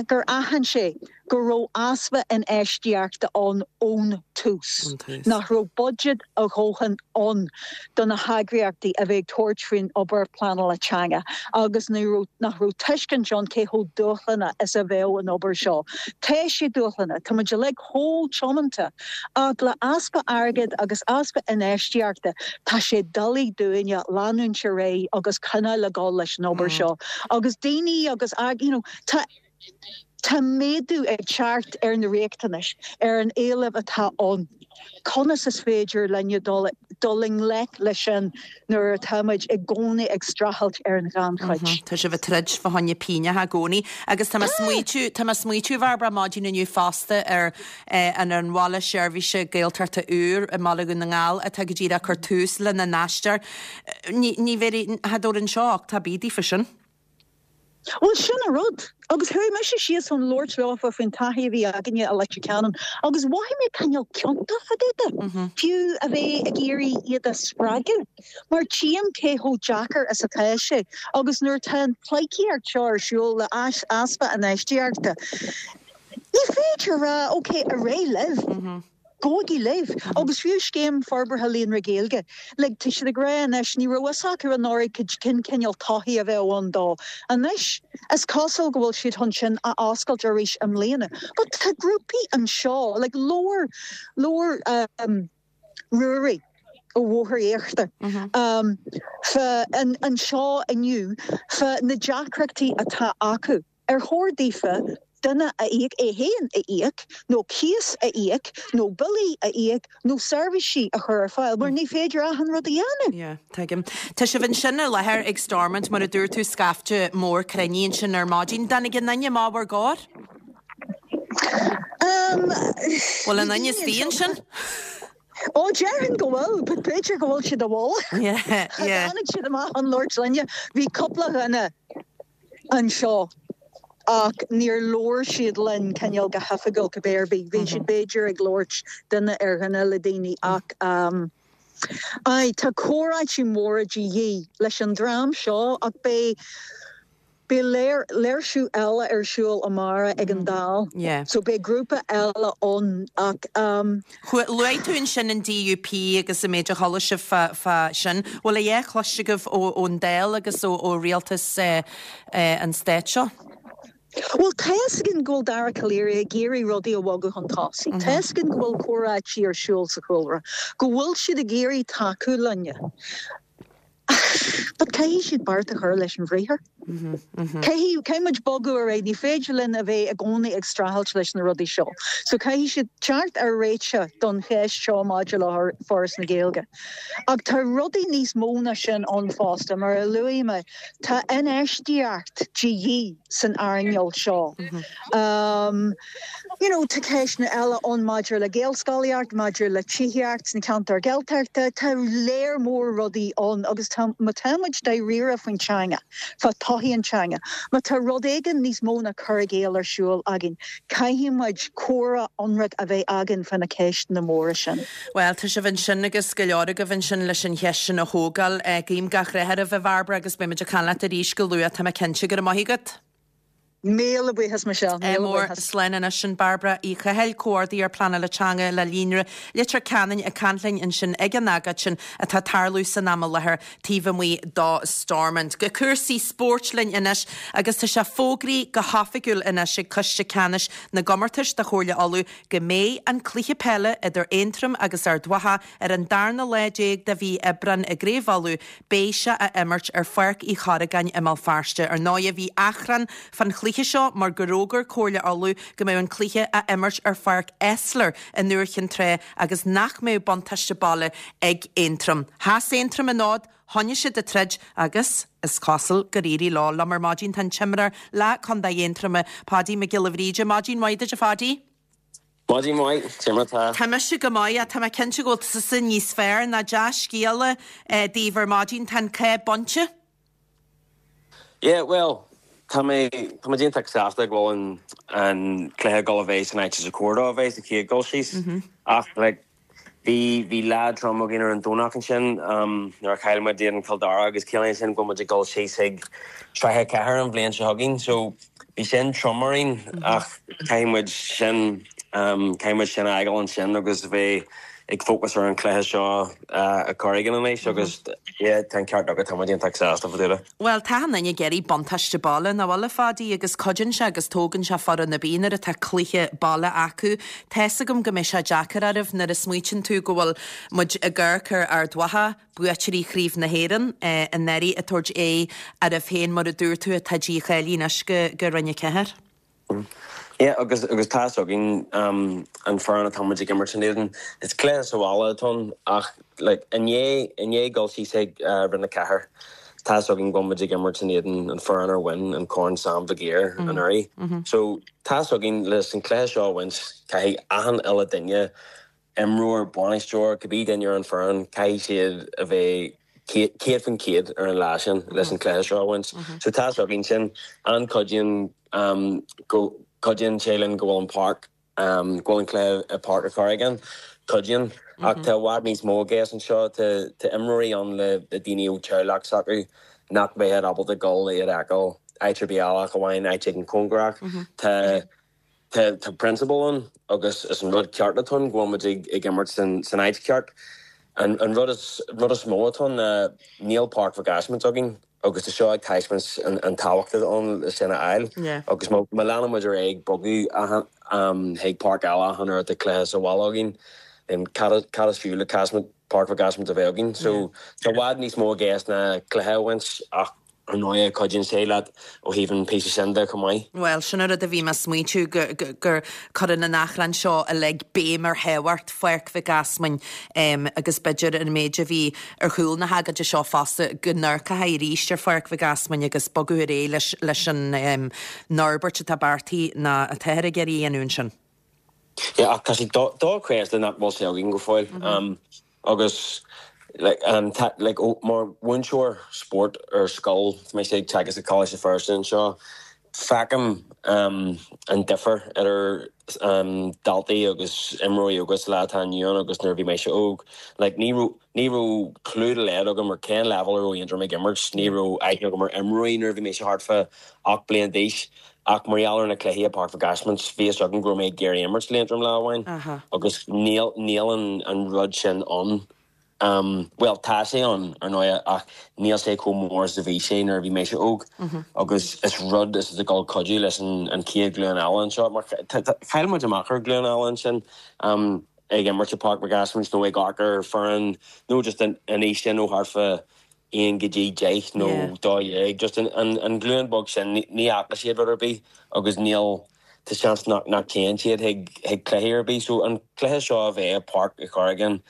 gur aithin sé go raibh easpa infheistíochta ann ón tús, nach raibh buiséad a dhóthain ann do na heagraíochtaí a bheith ag tabhairt faoin obair pleanála teanga agus ní raibh nach raibh tuiscint ann cé chomh dúshlánach is a bheadh an obair seo. Tá sé dúshlánach, tá muid uilig chomh tiomanta ach le easpa airgid agus easpa infheistíochta tá sé doiligh dúinne leanúint ar aghaidh agus coinneáil ag dul leis an obair seo agus daoine agus you know tá tá méadú ag teacht ar na riachtanais, ar an éileamh atá ann. Conas is féidir linne dul dul i ngleic leis sin nuair atá muid i gcónaí ag streachailt ar an ghannchuid. Tá sibh ag troid fá choinne pínneacha i gcónaí. Agus tá mé ag smaoitiú, tá mé ag smaoitiú, a Bhairbre, maidin inniu fosta ar an ar an Bhaile Seirbhíse Gaeltachta úr i mBaile Dhún na nGall atá go díreach ag cur tús lena n-aistear. Ní, ní bhéarfaidh, cha dtabharfainn seo uchtach ar bith daofa sin. Bhuel, sin an rud. Agus chuaigh mise síos chun labhairt leofa faoin taithí a bhí againne i Leitir Ceanainn agus mhothaigh mé cineál ciontach fá dtaobh de, fiú a bheith ag iarraidh iad a spreagadh, mar tchím cé chomh deacair is atá sé agus nuair atá an pleidhcíocht seo ar siúl le easpa infheistíochta, ní féidir a rá, ok, ar aghaidh libh. Gabhaigí libh! Agus fiú Scéim Forbartha Líonra Gaeilge, like, tá siad ag rá anois, ní raibh fhios acu anuraidh cén cineál torthaí a bheadh ann dó. Anois, is cosúil go bhfuil siad chun sin a oscailt arís i mbliana. But tá grúpaí anseo, like, labhair, labhair um, Ruairí ó Bhóthar Íochtar um, fá, an, anseo inniu, fá na deacrachtaí atá acu. Ar chóir daofa duine a íoc, é féin a íoc, nó cíos a íoc, nó billí a íoc, nó seirbhísí a chur ar fáil, mar ní féidir achan rud a dhéanamh. Yeah, tuigim. Tá sibh ansin i láthair ag Stormont, mar a dúirt tú, scaifte mór cruinnithe ansin ar maidin. Dtáinig aon duine amach bhur gcomhair? Um, Bhfuil aon duine istigh ansin? Ó, déarfainn go bhfuil, but b'fhéidir go bhfuil siad i bhfolach. Yeah, yeah. Tháinig siad amach chun labhairt linne. Bhí cúpla dhuine anseo ach níor labhair siad linn cineál go hoifigiúil cibé ar bith. Bhí siad b'fhéidir ag labhairt duine ar dhuine le daoine ach aye tá comhráití móra de dhíth leis an dream seo ach beidh. Beidh léirsiú eile ar siúl amárach ag an Dáil so beidh grúpa eile ann ach. Luaigh tú ansin an DUP agus an méid a chuala sibh fá sin. Bhfuil a dhath cloiste agaibh ón Dáil agus ó rialtas an stáit seo? Bhuel, tá fhios againn go bhfuil Dara Calleary ag iarraidh rudaí a bhogadh chun tosaigh. Tá fhios againn go bhfuil comhráití ar siúl sa chúlra, go bhfuil siad ag iarraidh tacú linne. But caithfidh siad beart a chur leis an bhriathar. Caithfidh, caithfidh muid bogadh ar aghaidh. Ní féidir linn a bheith i gcónaí ag streachailt leis na rudaí seo. So caithfidh siad teacht ar réiteach don cheist seo maidir le Foras na Gaeilge. Ach tá rudaí níos mó ná sin ann fosta. Mar a luaigh mé, tá infheistíocht de dhíth san earnáil seo. You know, tá ceisteanna eile ann maidir le Gaelscolaíocht, maidir le tithíocht sna ceantair Ghaeltachta, tá léar mór rudaí ann agus tá, má tá muid dáiríre faoin teanga, fá todhchaí an teanga, má tá rud éigin níos mó ná cur i gcéill ar siúl againn, caithfidh muid comhrá ionraic a bheith againn fá na ceisteanna móra sin. Bhuel, tá sibh ansin agus go leor agaibh ansin leis an cheist sin a thógáil. Guím gach rath oraibh, a Bhairbre, agus beidh muid ag caint leat arís go luath, tá mé cinnte. Go raibh maith agat. Míle buíochas, Michelle. Míle buíochas. Slán anois. Sin Bairbre Uí Chathail, Comhordaitheoir Pleanála Teanga le Líonra Leitir Ceanainn ag caint linn ansin ag an agóid sin atá ag tarlú san am i láthair taobh amuigh do Stormont. Go cúrsaí spóirt linn anois agus tá sé fógraithe go hoifigiúil anois ag Coiste Ceannais na gComórtais do Chomhairle Uladh go mbeidh an cluiche peile idir Aontroim agus Ard Mhacha ar an darna lá déag de mhí Aibreáin i gCraobh Uladh Beidh sé á imirt ar Pháirc Uí Chorragáin i mBéal Feirste. Ar ndóighe bhí achrann fán chluiche seo mar gur fhógair Comhairle Uladh go mbeadh an cluiche á imirt ar Pháirc Esler i nDúiche Chinn Trá agus nach mbeadh buntáiste baile ag Aontroim. Sheas Aontroim an fhód, choinnigh siad ag troid agus is cosúil gur éirigh leo. Liom ar maidin tá an t-imreoir le Contae Aontroma, Paudie Mac Giolla Bhríde. Maidin mhaith duit a Phaudie. Maidin mhaith, cé mar atá? Tá mise go maith, ach tá mé cinnte go bhfuil tusa níos fearr ná dea-scéala daoibh ar maidin, tá an cath bainte. Yeah, bhuel, tá mé, tá muid iontach sásta go bhfuil an, an cluiche ag dul a bheith san áit is chóir dó a bheith sa chéad dul síos. Ach, like, Bhí, bhí lá trom againn ar an Domhnach ansin nuair a chaill muid in éadan Chill Dara agus ciallaíonn sin go bhfuil muid ag dul síos chuig Sraith 4 an bhliain seo chugainn. So bhí sin trom orainn ach caithfidh muid sin, caithfidh muid sin a fhágáil ansin agus a bheith ag focus ar an chluiche seo i Corrigan anois agus yeah tá an ceart agat, tá muid iontach sásta fá dtaobh de. Bhuel, tá achan duine ag iarraidh buntáiste baile, nach bhfuil, a Phaudie, agus cuidíonn sé agus tógann sé foireann ar bith nuair atá cluiche baile acu. Tá's agam go mbeidh sé deacair oraibh nuair a smaoitíonn tú go bhfuil muid ag amharc ar Ard Mhacha, buaiteoirí Chraobh na hÉireann, anuraidh, ag tabhairt aghaidh oraibh féin, mar a dúirt tú, atá dícháilithe anois go Roinn 4. Yeah, agus agus tá's againn an foireann atá muid ag imirt in éadan. Is cluiche sa bhaile atá ann ach like i ndiaidh i ndiaidh dul síos ag Roinn 4, tá's againn go bhfuil muid ag imirt in éadan an foireann ar bhain an Corn Sam Mhig Uidhir anuraidh. So tá's againn leis an cluiche seo a bhaint caithfidh achan uile duine imreoir, bainisteoir, cibé duine ar an foireann, caithfidh siad a bheith 100% ar an lá sin leis an cluiche seo a bhaint. So tá's againn sin. An-cuidíonn go cuidíonn sé linn go bhfuil an páirc, go bhfuil an cluiche i Páirc an Chorragáin. Cuidíonn. Ach tá i bhfad níos mó i gceist anseo. Tá tá imreoirí ann le daoine ó teaghlach s'acu nach mbeadh ábalta dul iad a fheiceáil áit ar bith eile ach amháin áit éigin cóngarach. Tá Tá prionsabal ann agus is an rud ceart atá ann go bhfuil muid ag imirt san áit cheart. An rud is rud is mó atá ann ná níl Páirc Mhic Ásmaint againn agus tá seo ag taispeáint an tábhacht atá ann le sin a fháil agus má leanann muid ar aghaidh ag bogadh chuig páirc eile achan uair atá cluiche sa bhaile againn then cad is fiú le Páirc Mhic Ásmaint a bheith againn. So tá i bhfad níos mó i gceist ná cluiche a bhaint ach Ar ndóigh, cuidíonn sé leat ó thaobh an píosa sin de chomh maith. Bhuel, sin an rud a bhí mé ag smaointiú, gur cuireann an achrann seo uilig béim ar thábhacht Pháirc Mhic Easmainn agus b'fhéidir an méid a bhí ar chúl na hagóide seo fosta, go n-amharcfaí arís ar Pháirc Mhic Easmainn agus bogadh ar aghaidh leis an fhorbairt atá beartaithe nó atáthar ag iarraidh a dhéanamh ansin. Yeah, ach tá sé dochreidte nach bhfuil sé againn go fóill. Agus like like mar mhúinteoir spóirt ar scoil, tá mise ag teagasc i Coláiste Feirste anseo, feicim an difear idir daltaí agus imreoirí óga sa lá atá inniu ann agus nuair a bhí mise óg. Like ní raibh. Ní raibh clue dá laghad agam ar cén leibhéal a raibh Aontroim ag imirt, ní raibh aithne agam ar imreoirí nuair a bhí mise thart fá 8 bliain d'aois ach mar gheall ar na cluichí i Páirc Mhic Easmaint bhí fhios agam go raibh mé ag iarraidh imirt l'Aontroim lá amháin agus níl níl an an rud sin ann. Bhuel tá sé ann ar ndóigh ach níl sé chomh mór is a bhí sé nuair a bhí mise óg agus is rud is ag dul cuidiú leis an an chéad ghlúin eile anseo mar chaill muid amach ar ghlúin eile ansin. ag imirt i Páirc Mhic Easmaint nó ag amharc ar foireann nó just an aois sin ó thart fá aon go dtí 10 nó 12, just an ghlúin bheag sin, ní fhaca siad rud ar bith agus níl, tá seans nach dtéann siad chuig cluichí ar bith. So an cluiche seo a bheith i Páirc Uí Chorragáin,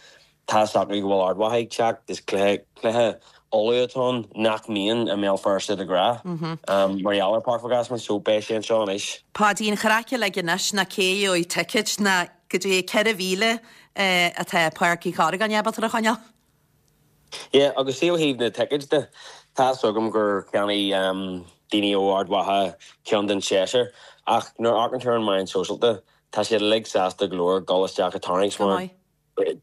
tá 's acu go bhfuil Ard Mhacha ag teacht, is cluiche, cluiche ullamh atá ann nach mbíonn i mBéal Feirste de ghnáth mar gheall ar Páirc Mhic Easmaint, so beidh sé anseo anois. Páidí, an chraic uilig anois ná cé a gheobhaidh ticéid ná goidé 4,000 atá Páirc Uí Chorragáin ábalta a choinneáil. Yeah, agus see ó thaobh na tickets de, tá 's agam gur cheannaigh daoine ó Ard Mhacha ceann den seisear, ach nuair a amharcann tú ar an meáin sóisialta, tá siad uilig sásta go leor dul isteach ag tarraingt mar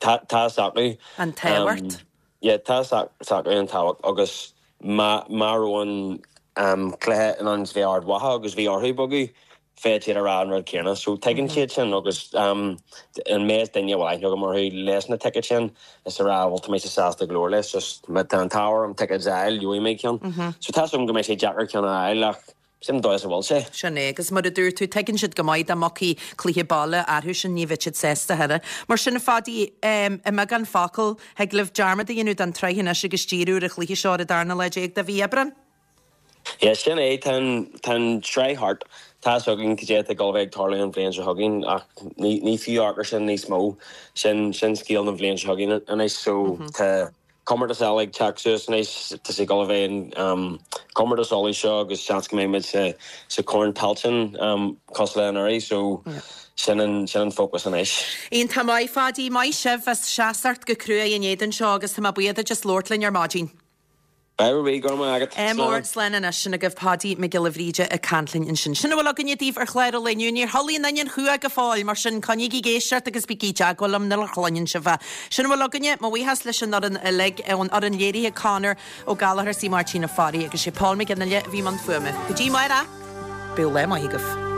tá 's acu. An tábhacht. Yeah, tá 's acu an tábhacht agus má raibh an cluiche in ann bheith Ard Mhacha agus bhí orthu bogadh, bheadh siad ag rá an rud céanna. So tuigeann siad sin agus an méid duine a bhfuil aithne agam orthu leis na tickets sin is a rá bhuel tá mise sásta go leor leis just má tá an t-ádh orm tickets a fháil gheobhaidh mé ceann. So tá 's agam go mbeidh sé deacair ceann a fháil ach sin an dóigh is a bhfuil sé. Sin é agus mar a dúirt tú tuigeann siad go maith dá mbogfaí cluiche baile orthu sin ní bheadh siad sásta a thuilleadh. Mar sin a Pháidí i mbeagán focal thig libh dearmad a dhéanamh den tsraith anois agus díriú ar an chluiche seo ar an darna lá déag de mhí Aibreán. Yeah, sin é, tá an, tá an tsraith thart. Tá 'fhios againn cad é atá ag dul a bheith ag tarlú an bhliain seo chugainn ach ní, ní fiú amharc ar sin níos mó. Sin, sin scéal na bhliain seo chugainn anois so tá comórtas eile ag teacht suas anois, tá sé ag dul a bheith an um, comórtas Uladh seo agus seans go mbeidh muid sa, sa Chorn Tailteann um, cosúil le anuraidh so sin an, sin an fócas anois. Iontach maith, Pháidí, maith sibh as seasacht go cruaidh in éadan seo agus tá mé buíoch duit as labhairt linn ar maidin. Beidh bhí, go raibh maith agat. Ádh mór, slán anois. Sin agaibh Páidí Mac Giolla Bhríde ag caint linn ansin. Sin a bhfuil againne daoibh ar chlár an lae inniu. Níor chodlaigh an inion chumha go fóill, mar sin coinnígí ag éisteacht agus bígí i dteagmháil liom nuair a chluineann sibh é. Sin a bhfuil againne. Mo bhuíochas leis an fhoireann uilig, ón fhoireann léirithe Conor Ó Gallchóir is í Máirtín Ó Fearraigh agus sé Paul Mac Fhionnghaile a bhí i mbun fuaime. Go dtí amárach, bíodh lá maith agaibh.